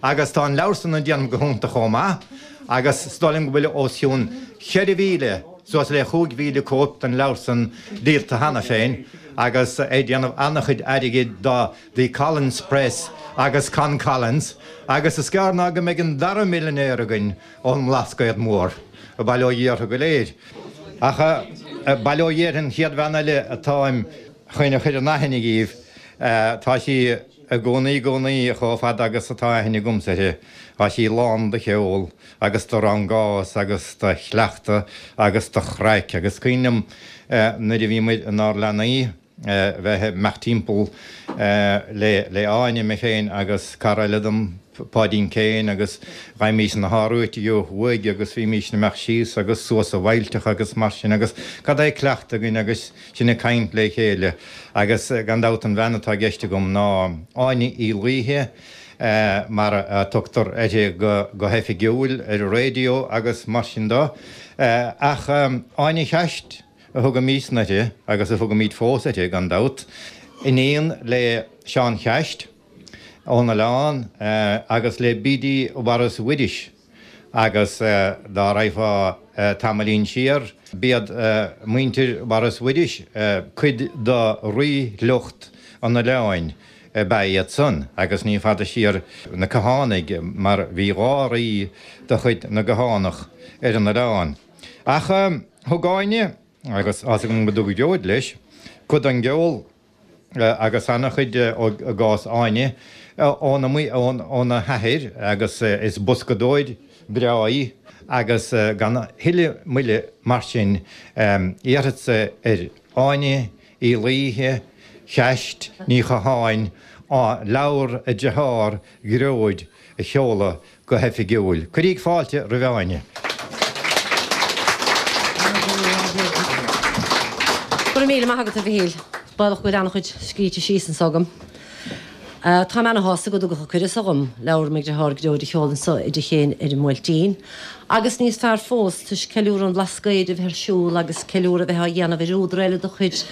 agus tá an leabhar san ag déanamh go hiontach chomh maith agus is dóigh liom go bhfuil os cionn 4,000, suas le 5,000 cóip den leabhar san díolta cheana féin agus é ag déanamh an-chuid airgid do The Collins Press agus Con Collins, agus is gearr ná go mbeidh an dara millinéir againn ón mBlascaod Mór, bail ó Dhia orthu go léir. Ach bail ó Dhia ar an chéad bhean eile atáim chun a chur in aithne dhíbh, tá sí i gcónaí i gcónaí chomh fada agus atá aithne agamsa uirthi, tá sí lán de cheol agus de rangás agus de chleachtadh agus de chraic agus cuimhin liom nuair a bhí muid inár leanaí, bheith ag imeacht timpeall le Áine, mé féin agus cara eile dom, Páidín Kane, agus gheibhimís na hÁrúití ó thuaidh agus bhímís ag imeacht síos agus suas i bhfaillteacha agus mar sin agus cad é cleachtadh againn agus sinn ag caint le chéile agus gan dabht an bhean atá i gceist agam ná Áine Uí Laoithe mar a tugtar uirthi go hoifigiúil ar an raidió agus mar sin de. Ach Áine Cheaist. a thugaimísne uirthi, agus a thugaimid fós uirthi, gan dabht, iníon le Seán Cheaist ón Oileán agus le Bidí Mhaurice Mhuiris, agus dá raghfá tamaillín siar, b'iad muintir Mhaurice Mhuiris cuid de rí-shliocht an Oileáin ab ea iad san, agus ní fada siar na Cathánaigh, mar bhí dhá rí de chuid na gCathánach ar an Oileán. Ach thug Áine, agus tá's agam go dtug Gearóid leis, cuid den gceol agus an-chuid i gcás Áine, óna hathair agus is boscadóir breá í agus gan a thuilleadh moille mar sin iarrfadsa ar Áine Uí Laoithe, Cheaist Ní Chatháin, leabhar a dearthár Ghearóid a sheoladh go hoifigiúil. Cuiríg fáilte roimh Áine. Go raibh míle maith agat, a Mhichíl. Baolach go bhfuil an-chuid scríte síos anso agam. Táim ana-shásta go dtugadh an cuireadh so dhom leabhar mo dhritheár Gearóid a sheoladh anso i dtigh Sheáin ar an mBuailtín. Agus níos fearr fós, toisc ceiliúradh an Bhlascaoid a bheith ar siúl agus ceiliúradh a bheith á dhéanamh ar údar eile de chuid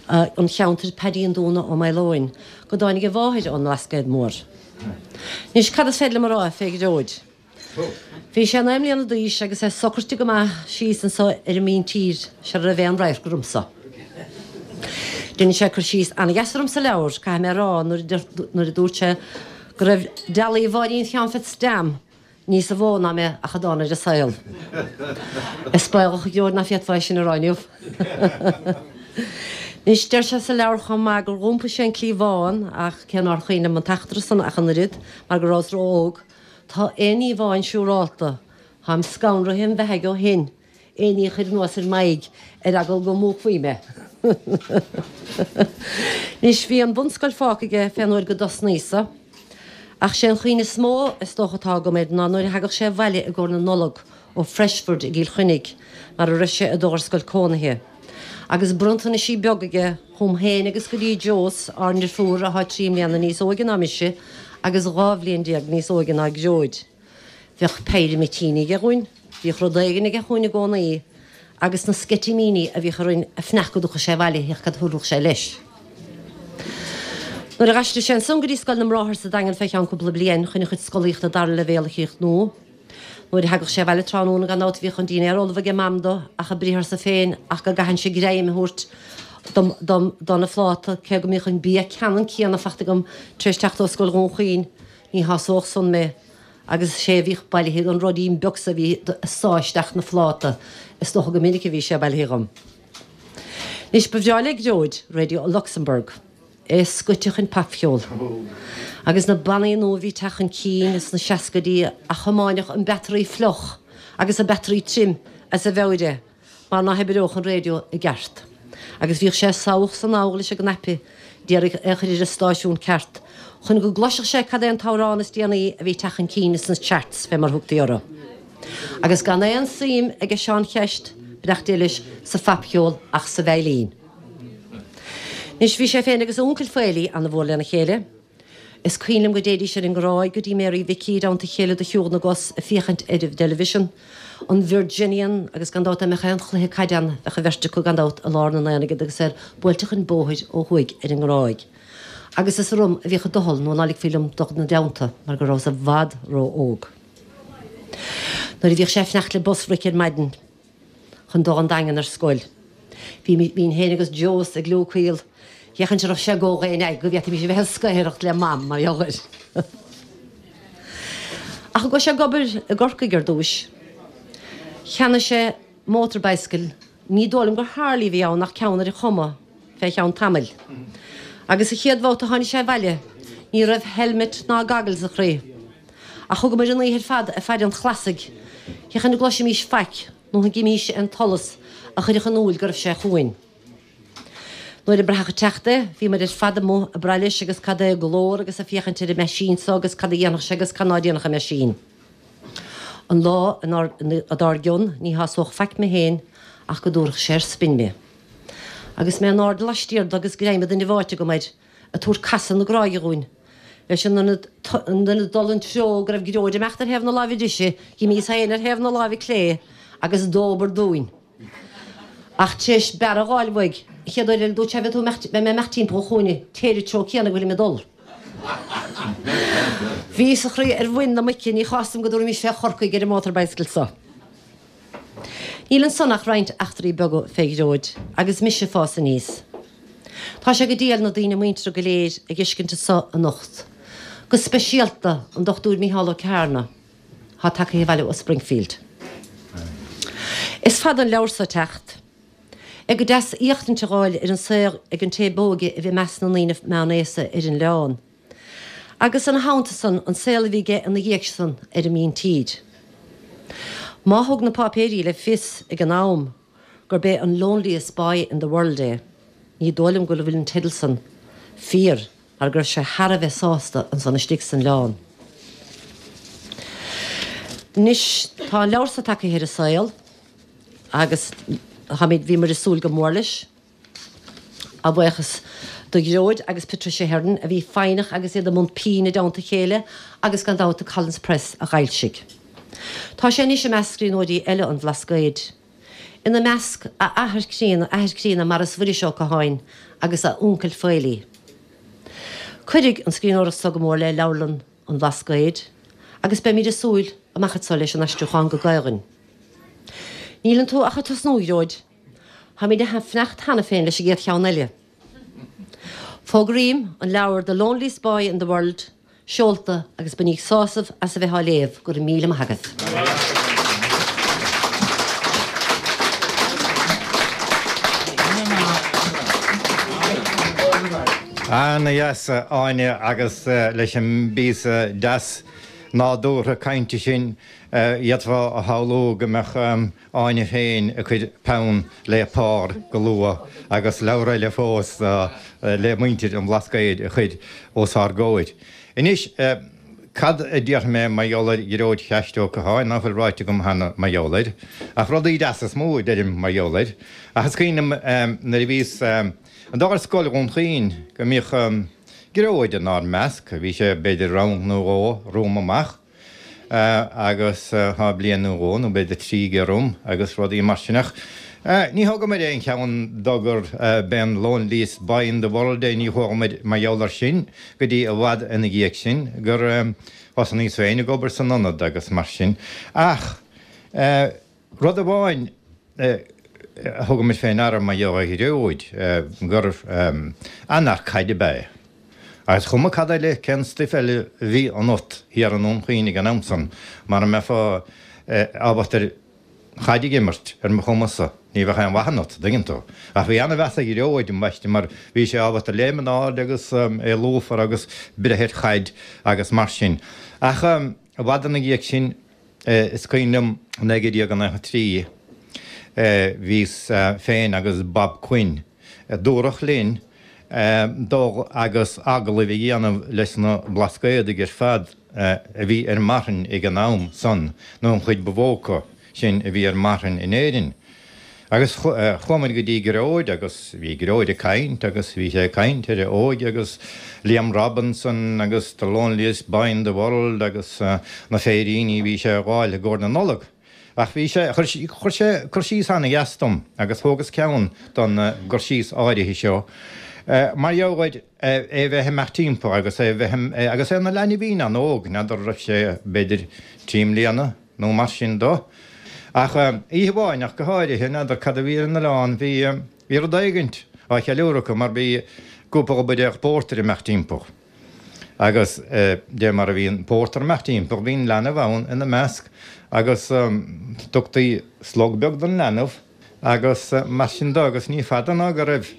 an cheantair, Paidí an Dúna Ó Maoileoin, go dtáinig a mháthair ón mBlascaod Mór. Anois, cad is féidir liom a rá fé Ghearóid? Bhí sé 9 mbliana d'aois agus é socraite go maith síos anso ar an míntír sara raibh aon radharc ormsa. Dhein sé cur síos ana-dheas orm sa leabhar, caithfidh mé a rá, nuair a dúirt sé go raibh dealbh Mháirín Sheáin Pheats Jam níosa mhó ná mé ach a dán ar an saol. Is baolach, a Ghearóid, ná féadfá é sin a rá inniu. Anois, deir sé sa leabhar chomh maith gur dh'iompaigh sé an cliabhán ach cé nár chuimhin liom an t-eachtra san ach an oiread mar go rabhas ró-óg, Tá aon ní amháin siúrálta, táim scanraithe im bheathaidh ó shin, éinní a chur anuas ar m'aghaidh ar eagal go múchfaí mé. Anois, bhí an bhunscoil fágtha aige fén uair go dtosnaíos-sa, ach sé an chuimhne is mó is dócha atá agam air ná nuair a thagadh sé abhaile i gcomhair na Nollag ó Freshford i gCill Chainnigh, mar a raibh sé ag dul ar scoil cónaithe. Agus bronntanaisí beaga aige chugam féin agus go dtí Jós, ár ndrifiúr, athá 3 mbliana níos óige ná mise agus 12 bhliain níos óige ná Gearóid. Bheadh péire mitíní aige dhúinn, bhíodh rud éigin aige chugainn i gcónaí, agus na sceitimíní a bhíodh orainn a fanacht go dtiocfadh sé abhaile féach cad a thabharfadh sé leis. Nuair a dh'aistrigh sé ansan go dtí Scoil na mBráthar sa Daingean fé cheann cúpla bliain chun a chuid scolaíochta dara leibhéal a chríochnú, Nuair a thagadh sé abhaile tráthnóna gan dabht bhíodh an dínnéar ullamh aige Mam do, ach a briatharsa féin ach go gcaithfinnse greim a thabhairt dom dom dona phláta, cé go mbíodh an bia ceannann céanna fachta agam tar éis teacht ó Scoil Dhún Chaoin, ní shásódh san mé, agus is é a bhíodh bailithe don ruidín beag so a bhí ag sá isteach 'na phláta, is dócha go minic a bhí sé bailithe dhom. Anois ba bhreá le Gearóid Radio Luxembourg. É scoite chun popcheol. Agus na bannaí nua a bhí ag teacht chun cinn sna seascaidí a thiomáinfeadh an battery fliuch agus an battery tirim as a mheabhair é mar ná hoibreodh an raidió i gceart. Agus bhíodh sé samhach 's anall leis an gcnaipe d'iarraidh é a chur ar an stáisiún ceart chun go gcloisfeadh sé cad é an t-amhrán is déanaí a bhí ag teacht chun cinn sna charts, fé mar thugtaí orthu. Agus gan aon suim aige Seán Cheist, beannacht Dé leis, sa phopcheol ach sa veidhlín. Anois, bhí sé féin agus a uncail Faoilí ana-mhór lena chéile. Is cuimhin liom go dtéidís ar an nGráig go dtí Mary Mhicí i dteannta a chéile do shiúl na gcos ag féachaint ar an dteilifísean, an Virginian, agus gan dabht dá mbeadh aon chluiche caide ann bheadh an bheirt acu gan dabht i lár an aonaigh agus iad buailte chun bóthair ó thuaidh ar an nGráig. Agus is orm a bhíodh a doicheall nó ná ligfí liom dul 'na dteannta mar go rabhas i bhfad ró-óg. Nuair a bhíodh sé ag fanacht le bus Rick ar maidin, chun dul 'on Daingean ar scoil. Bhí, bhínn féin agus Jós ag gliúcaíl, féachaint an raibh sé ag gabháil d'aon aghaidh go bhféadfaimis a bheith ag scaothaireacht le Mam mar gheall air. Ach go raibh sé ag obair i gCorcaigh ar dtúis, cheannaigh sé motor bicycle, ní dóigh liom gur Harley a bhí ann ach ceann ar an chuma, fé cheann tamaill. Agus an chéad bhabhta a tháinig sé abhaile, ní raibh helmet ná goggles a chroí. Ach thugamair an oíche ar fad ag faire an chlasaigh, féachaint an gcloisfimís faic nó an gcífimís aon tsolas a chuirfeadh in iúil go raibh sé chugainn. Nuair a braitheadh ag teacht é, bhíomair ar fad amuigh ag brath leis agus cad é a ghlór agus ag féachaint ar an meaisín so agus cad a dhéanfadh sé agus cad ná déanfadh an meaisín. An lá dár gcionn ní shásódh faic mé féin ach go dtabharfadh sé ar spin mé. Agus mé in airde laistiar de agus greim an duine bháite agam air, ag tabhairt casadh na gráige dhúinn. Leis in ionad dul an treo go raibh Gearóid ag imeacht ar thaobh na láimhe deise, dh'imíos féin ar thaobh na láimhe clé agus dóbair dúinn. Ach tar éis bearradh a dh'fháil uaidh, an chéad uair eile dúirt sé, beidh tú imeacht, beidh mé ag imeacht timpeall an chúinne, téir an treo céanna go bhfuilim ag dul. Bhíos a chroí ar mhuin na muice, ní chás dom go dtabharfaimis fé Chorcaigh ar an motor bicycle so. Níl ansan ach roinnt eachtraí beaga fé Ghearóid agus mise ag fás aníos. Tá sé go diail na daoine muinteartha go léir a dh'fheiscint anso anocht, go speisialta an Dr Mícheál Ó Cearna, thá tagtha abhaile ó Springfield. Is fada an leabhar so ag teacht. É go deas éachtaint a dh'fháil ar an saol ag an té b'óige a bhí i measc na ndaoine meánaosta ar an oileán. Agus ina theannta san, an saol a bhí aige ina dhiaidh san ar an míntír. Má thug na páipéirí le fios ag an am gurb é an loneliest boy in the world é, ní dóigh liom go bhfuil an teideal san fíor mar go raibh sé thar a bheith sásta ansan istigh san oileán. Anois tá an leabhar so tagtha ar an saol agus táimid, bhíomar ag súil go mór leis. A bhuíochas. Do Ghearóid agus Patricia Herron a bhí foighneach agus iad i mbun pinn i dteannta a chéile agus gan dabht do Collins Press a dh'fhoilsigh. Tá sé anois i measc scríbhneoirí eile an Bhlascaoid. Ina measc, a athair críonna, athair críonna Maurice Mhuiris Ó Catháin agus a uncail Faoilí. Cuirfidh an scríbhneoireacht so go mór le leabharlann an Bhlascaoid agus beimid ag súil amach anso leis an aistriúchán go Gaelainn. Níleann tú ach ag tosnú, a Ghearóid. Táimid ag fanacht cheana féin leis an gcéad cheann eile. Fógraím an leabhar The Loneliest Boy in the World seolta agus bainíg sásamh as a bheith á léamh. Go raibh míle maith agaibh. Ana-dheas, a Áine, agus leis an bpíosa deas nádúrtha cainte sin, d'fhéadfá a shamhlú go mbeadh Áine féin ag cur peann le pár go luath agus leabhar eile fós le muintir an Bhlascaoid a chur os ár gcomhair. Anois, cad a déarfaidh mé mar gheall ar Ghearóid Cheaist Ó Catháin ná fuil ráite agam cheana mar gheall air? Ach rudaí deasa is mó a deirim mar gheall air. Ach is cuimhin liom nuair a bhíos ag dul ar scoil Dhún Chaoin go mbíodh Gearóid inár measc, bhí sé b'fhéidir rang nó dhó romham amach. agus tá bliain nó dhó nó b'fhéidir trí aige romham agus rudaí mar sin ach ní thugamair aon cheann dó gur b'é an loneliest boy in the world é, ní chualamair mar gheall air sin go dtí i bhfad ina dhiaidh sin gur thosnaíos féin ag obair san ionad agus mar sin ach Rud amháin a thugamair fé ndeara mar gheall ar Ghearóid, gur an-fhear caide ab ea é. Agus chuma cad eile, cén stuif eile a bhí ionat thiar i nDún Chaoin ag an am san, mara mbeifeá ábalta ar chaid a dh'imirt, ar mo chuma-sa, ní bheadh aon mhaith ionat, dtuigeann tú. Ach bhí ana-mheas ar Ghearóid, ambaiste, mar bhí sé ábalta léim in airde agus é lúfar agus breith ar chaid agus mar sin. Ach i bhfad ina dhiaidh sin, Is cuimhin liom 1993, bhíos féin agus Bob Quinn, dúradh linn dul agus agallaimh a dhéanamh leis na Blascaodaigh ar fad a bhí ar marthain ag an am san, nó an chuid ba mhó acu sin a bhí ar marthain in Éirinn. Agus chuamair go dtí Gearóid agus bhí Gearóid ag caint agus bhí sé ag caint ar a óige agus Liam Robinson agus The Loneliest Boy in the World agus na féiríní a bhí sé a dh'fháil i gcomhair na Nollag. Ach bhí sé, chuir sé cur síos ana-dheas dom agus thógas ceann don gcur síos áirithe seo mar gheall ar é a bheith ag imeacht timpeall agus é a bheith, agus é ina leanbhín an-óg, n'fheadar raibh sé b'fhéidir trí mbliana, nó mar sin do. Ach oíche amháin ach go háirithe, n'fheadar cad a bhí ar an oileán, bhí, bhí rud éigint á cheiliúradh acu mar bhí cúpla buidéal pórtair ag imeacht timpeall. Agus de mar a bhí an pórtar ag imeacht timpeall, bhí an leanbh ann ina measc agus tugtaí slog beag don leanbh agus mar sin do agus ní fada ná go raibh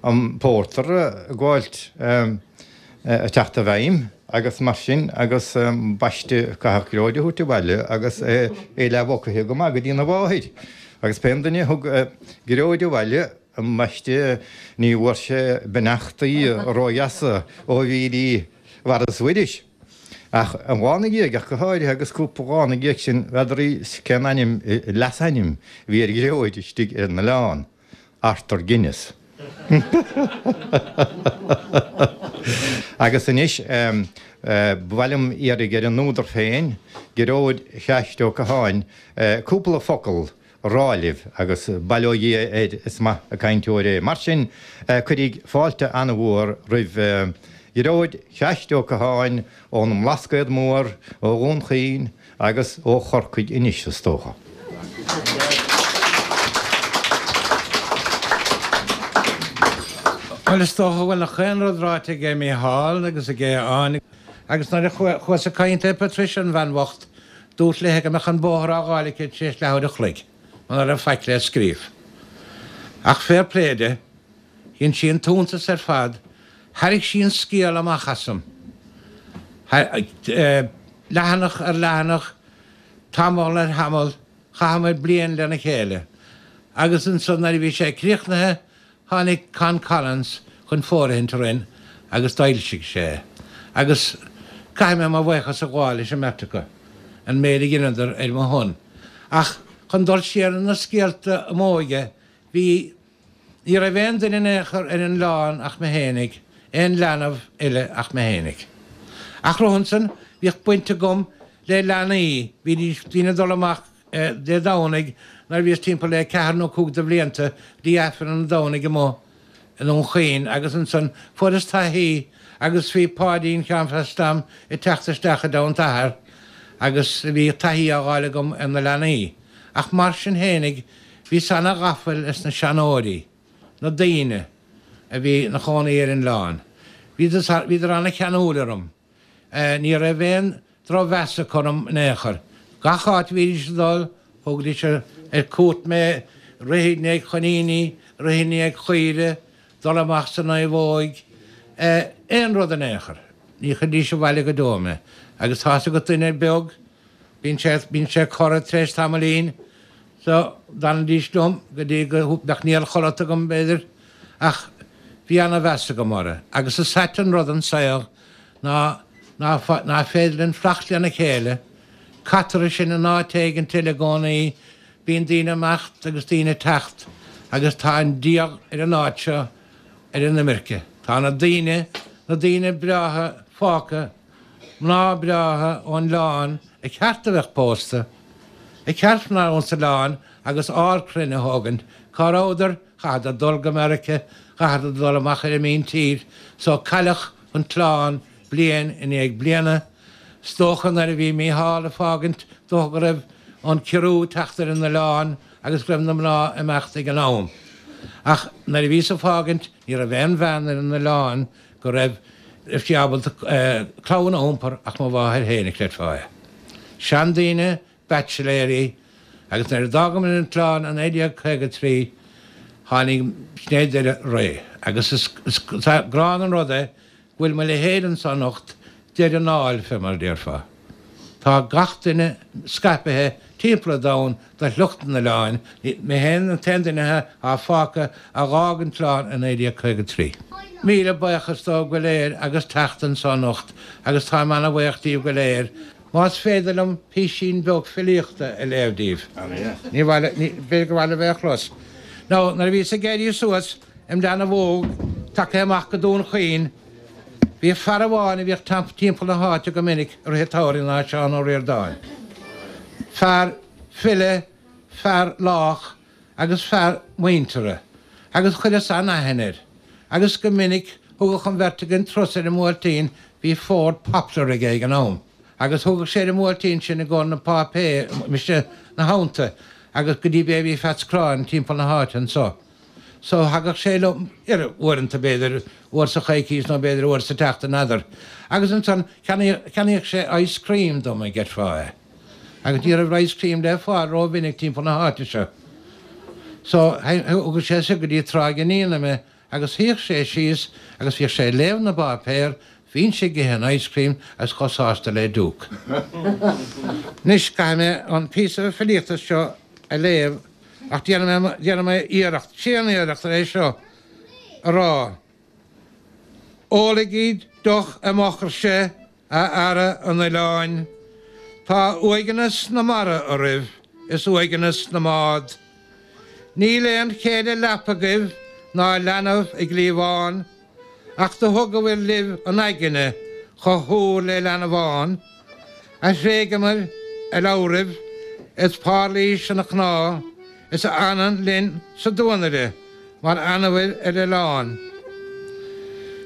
an pórtar ag gabháilt ag teacht i bhfeidhm agus mar sin agus ambaiste caithfeadh Gearóid a thabhairt abhaile agus é leathmhucaithe go maith go dtína mháthair. Agus pén duine a thug Gearóid abhaile ambaiste ní bhfuair sé beannachtaí ródheasa ó bhírí Mhaurice Mhuiris. Ach an lá ina dhiaidh ach go háirithe agus cúpla lá ina dhiaidh sin n'fheadar cén ainm, leasainm a bhí ar Ghearóid istigh ar an oileán. Arthur Guinness. Agus anois, ba mhaith liom iarraidh ar an údar féin, Gearóid Cheaist Ó Catháin, cúpla focal a rá libh, agus bail ó Dhia air, is maith an cainteoir é. Mar sin, cuiríg fáilte an-mhór roimh Ghearóid Cheaist Ó Catháin ón mBlascaod Mór, ó Dhún Chaoin, Agus ó Chorcaigh anois, is dócha. Bhuel, is dócha go bhfuil nach aon rud ráite aige Mícheál agus aige Áine. Agus nuair a chuas ag caint le Patricia, an bhean bhocht, dúrt léithe go mbeadh an bóthar á dh'fháil aici tar éis leathuair a chloig, muna raibh faic le scríobh. Ach fair play di, Dhein sí an t-iontas ar fad, thairrig sí an scéal amach asam. Leathanach ar leathanach, tamall ar thamall, chaitheamair bliain lena chéile. Agus ansan nuair a bhí sé críochnaithe, tháinig Con Collins chun fóirithint orainn agus d'fhoilsigh sé é. Agus caithfidh mé mo bhuíochas a ghabháil leis an mbeirt acu, an méid a dheineadar ar mo shon. Ach chun dul siar ar na scéalta i m'óige, bhí. Ní raibh aon duine in aon chor ar an oileán ach mé fhéinig, aon leanbh eile ach mé fhéinig. Ach romhan san, bhíodh baint agam le leanaí, bhídís daoine ag dul amach Dé Domhnaigh nuair a bhíos timpeall le ceathair nó cúig de bhlianta go dtí Aifreann an Domhnaigh amuigh i nDún Chaoin agus ansan fuaireas taithí agus bhí Páidín Sheáin Pheaits Tom ag teacht isteach i dteannta athar agus bhí taithí á fháil agam ar na leanaí. Ach mar sin fhéinig bhíos ana-ghafa leis na seanóirí, na daoine a bhí 'na chónaí ar an oileán. Bhíodar ana-cheanúil orm. Ní raibh aon drochmheas acu orm in aon chor. Gach áit a bhídís ag dul, thugaidís ar cuairt mé, rith i ndiaidh choiníní, rith i ndiaidh chaoire, dul amach sa naomhóig, aon rud in aon chor. Ní chuiridís abhaile go deo mé. Agus tá's agat duine beag, bíonn sé, bíonn sé cortha tar éis tamaillín. So, d'fhanaidís liom go dtí go mbeadh néal chodlata agam, b'fhéidir, ach bhí ana-mheas agam orthu. Agus is ait an rud an saol ná ná ná féidir linn fanacht lena chéile, caitear sinn in áit éigint eile i gcónaí, bíonn daoine ag imeacht agus daoine ag teacht agus tá an díogha ar an áit seo ar an imirce. Tá na daoine, na daoine breátha fágtha, mná breátha ón oileán ar cheart a bheith pósta, ar cheart mná ón oileán agus ár crainn a thógaint, cá rabhadar? Chaitheadar dul go Meirice, chaitheadar dul amach ar an míntír, so cailleadh an clann bliain i ndiaidh bliana. 'S dócha nuair a bhí Mícheál ag fágaint dócha go raibh an ciorrú ag teacht ar an oileán agus go raibh na mná ag imeacht ag an am. Ach nuair a bhíos ag fágaint ní raibh aon bhean ar an oileán go raibh raibh sí ábalta clann a iompar ach mo mháthair féin, chreidfeá é. Seandaoine baitsiléirí, agus nuair a d'fhágamar an t-oileán i 1953 tháinig sin é deireadh ré. Agus is gránna an rud é go bhfuil mo leithéid anso anocht, deireadh an áil fé mar a déarfá. Tá gach duine scaipithe timpeall an domhain de shliocht an oileáin, mé féin an t-aon duine atá fágtha a dh'fhág an t-oileán i 1953. Míle buíochas dóibh go léir agus teacht anso anocht agus táim ana-bhuíoch díobh go léir. Más féidir liom písín beag filíochta a léamh díbh. Ní mhaith, b'fhéidir gur mhaith libh é a chlos. Now, nuair a bhíos ag éirí suas im leanbh óg, tagtha amach go Dún Chaoin, bhí fear amháin a bhíodh timpeall na háite go minic i rith an tsamhraidh ná Seán Ó Ríordáin. Fear file, fear lách agus fear muinteartha, agus chuireas an-aithne air. Agus go minic thugadh an bheirt againn turas ar an mBuailtín, bhí Ford Poplar aige ag an am, agus thugadh sé ar an mBuailtín sinn i gcomhair na páipéir, mise 'na theannta, agus go dtí Baby Pheaits Cráin timpeall na háite anso. So thagadh sé liom, ar uaireanta b'fhéidir, uair sa choicís nó b'fhéidir uair sa tseachtain, n'fheadar. Agus ansan cheannaíodh sé ice cream dom, an gcreidfeá é. Agus ní raibh ice cream le fáil rómhinic timpeall na háite seo. So thugadh sé soir go dtí Tráigh an Fhíona mé agus shuíodh sé síos agus bhíodh sé ag léamh na bpáipéar, bhínnse ag ithe an ice cream agus chomh sásta le diúc. Anois caithfidh mé an píosa filíochta seo a léamh ach déanfaidh mé, déanfaidh mé iarracht, tréan-iarracht ar é seo a rá. Ólaigí deoch i m'fhochairse, a fheara an oileáin. Tá uaigneas na mara oraibh is uaigneas na mbád. Níl aon chéile leapa agaibh ná leanbh i gcliabhán, ach do thugabhair libh an aigne chomh húr le leanbhán, a thréigeamair a leabhraibh is pairlís ina cnámh is a fhanann linn sa duanaire mar fhanabhair ar oileán.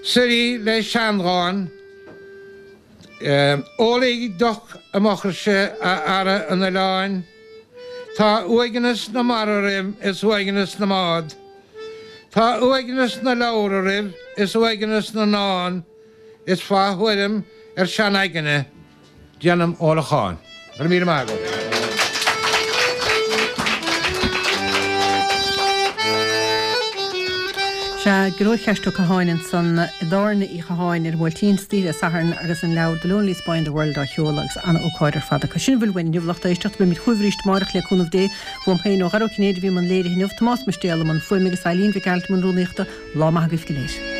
Suirí le seandhán, Ólaigí deoch i m'fhochairse, a fheara an oileáin. Tá uaigneas na mara oraibh is uaigneas na mbád. Tá uaigneas na leabhar oraibh is uaigneas na ndán is fá thuairim ar seanaigne déanaim ólachán. Go raibh míle maith agat. Sea, Gearóid Cheaist Ó Catháin ansan i dTábhairne Uí Chatháin ar an mBuailtín istoíche Dé Sathairn agus an leabhar The Loneliest Boy in the World á sheoladh agus an-ócáid ar fad acu. Sin a bhfuil uainn inniu, lucht éisteachta. Beimid chugaibh arís amárach le cúnamh Dé. Uaim féin ó Dhara Ó Cinnéide a bhí i mbun léirithe inniu, Tomás Mistéal i mbun fuaime agus Eileen Mhic Gearailt i mbun rúnaíochta. Lá maith agaibh go léir.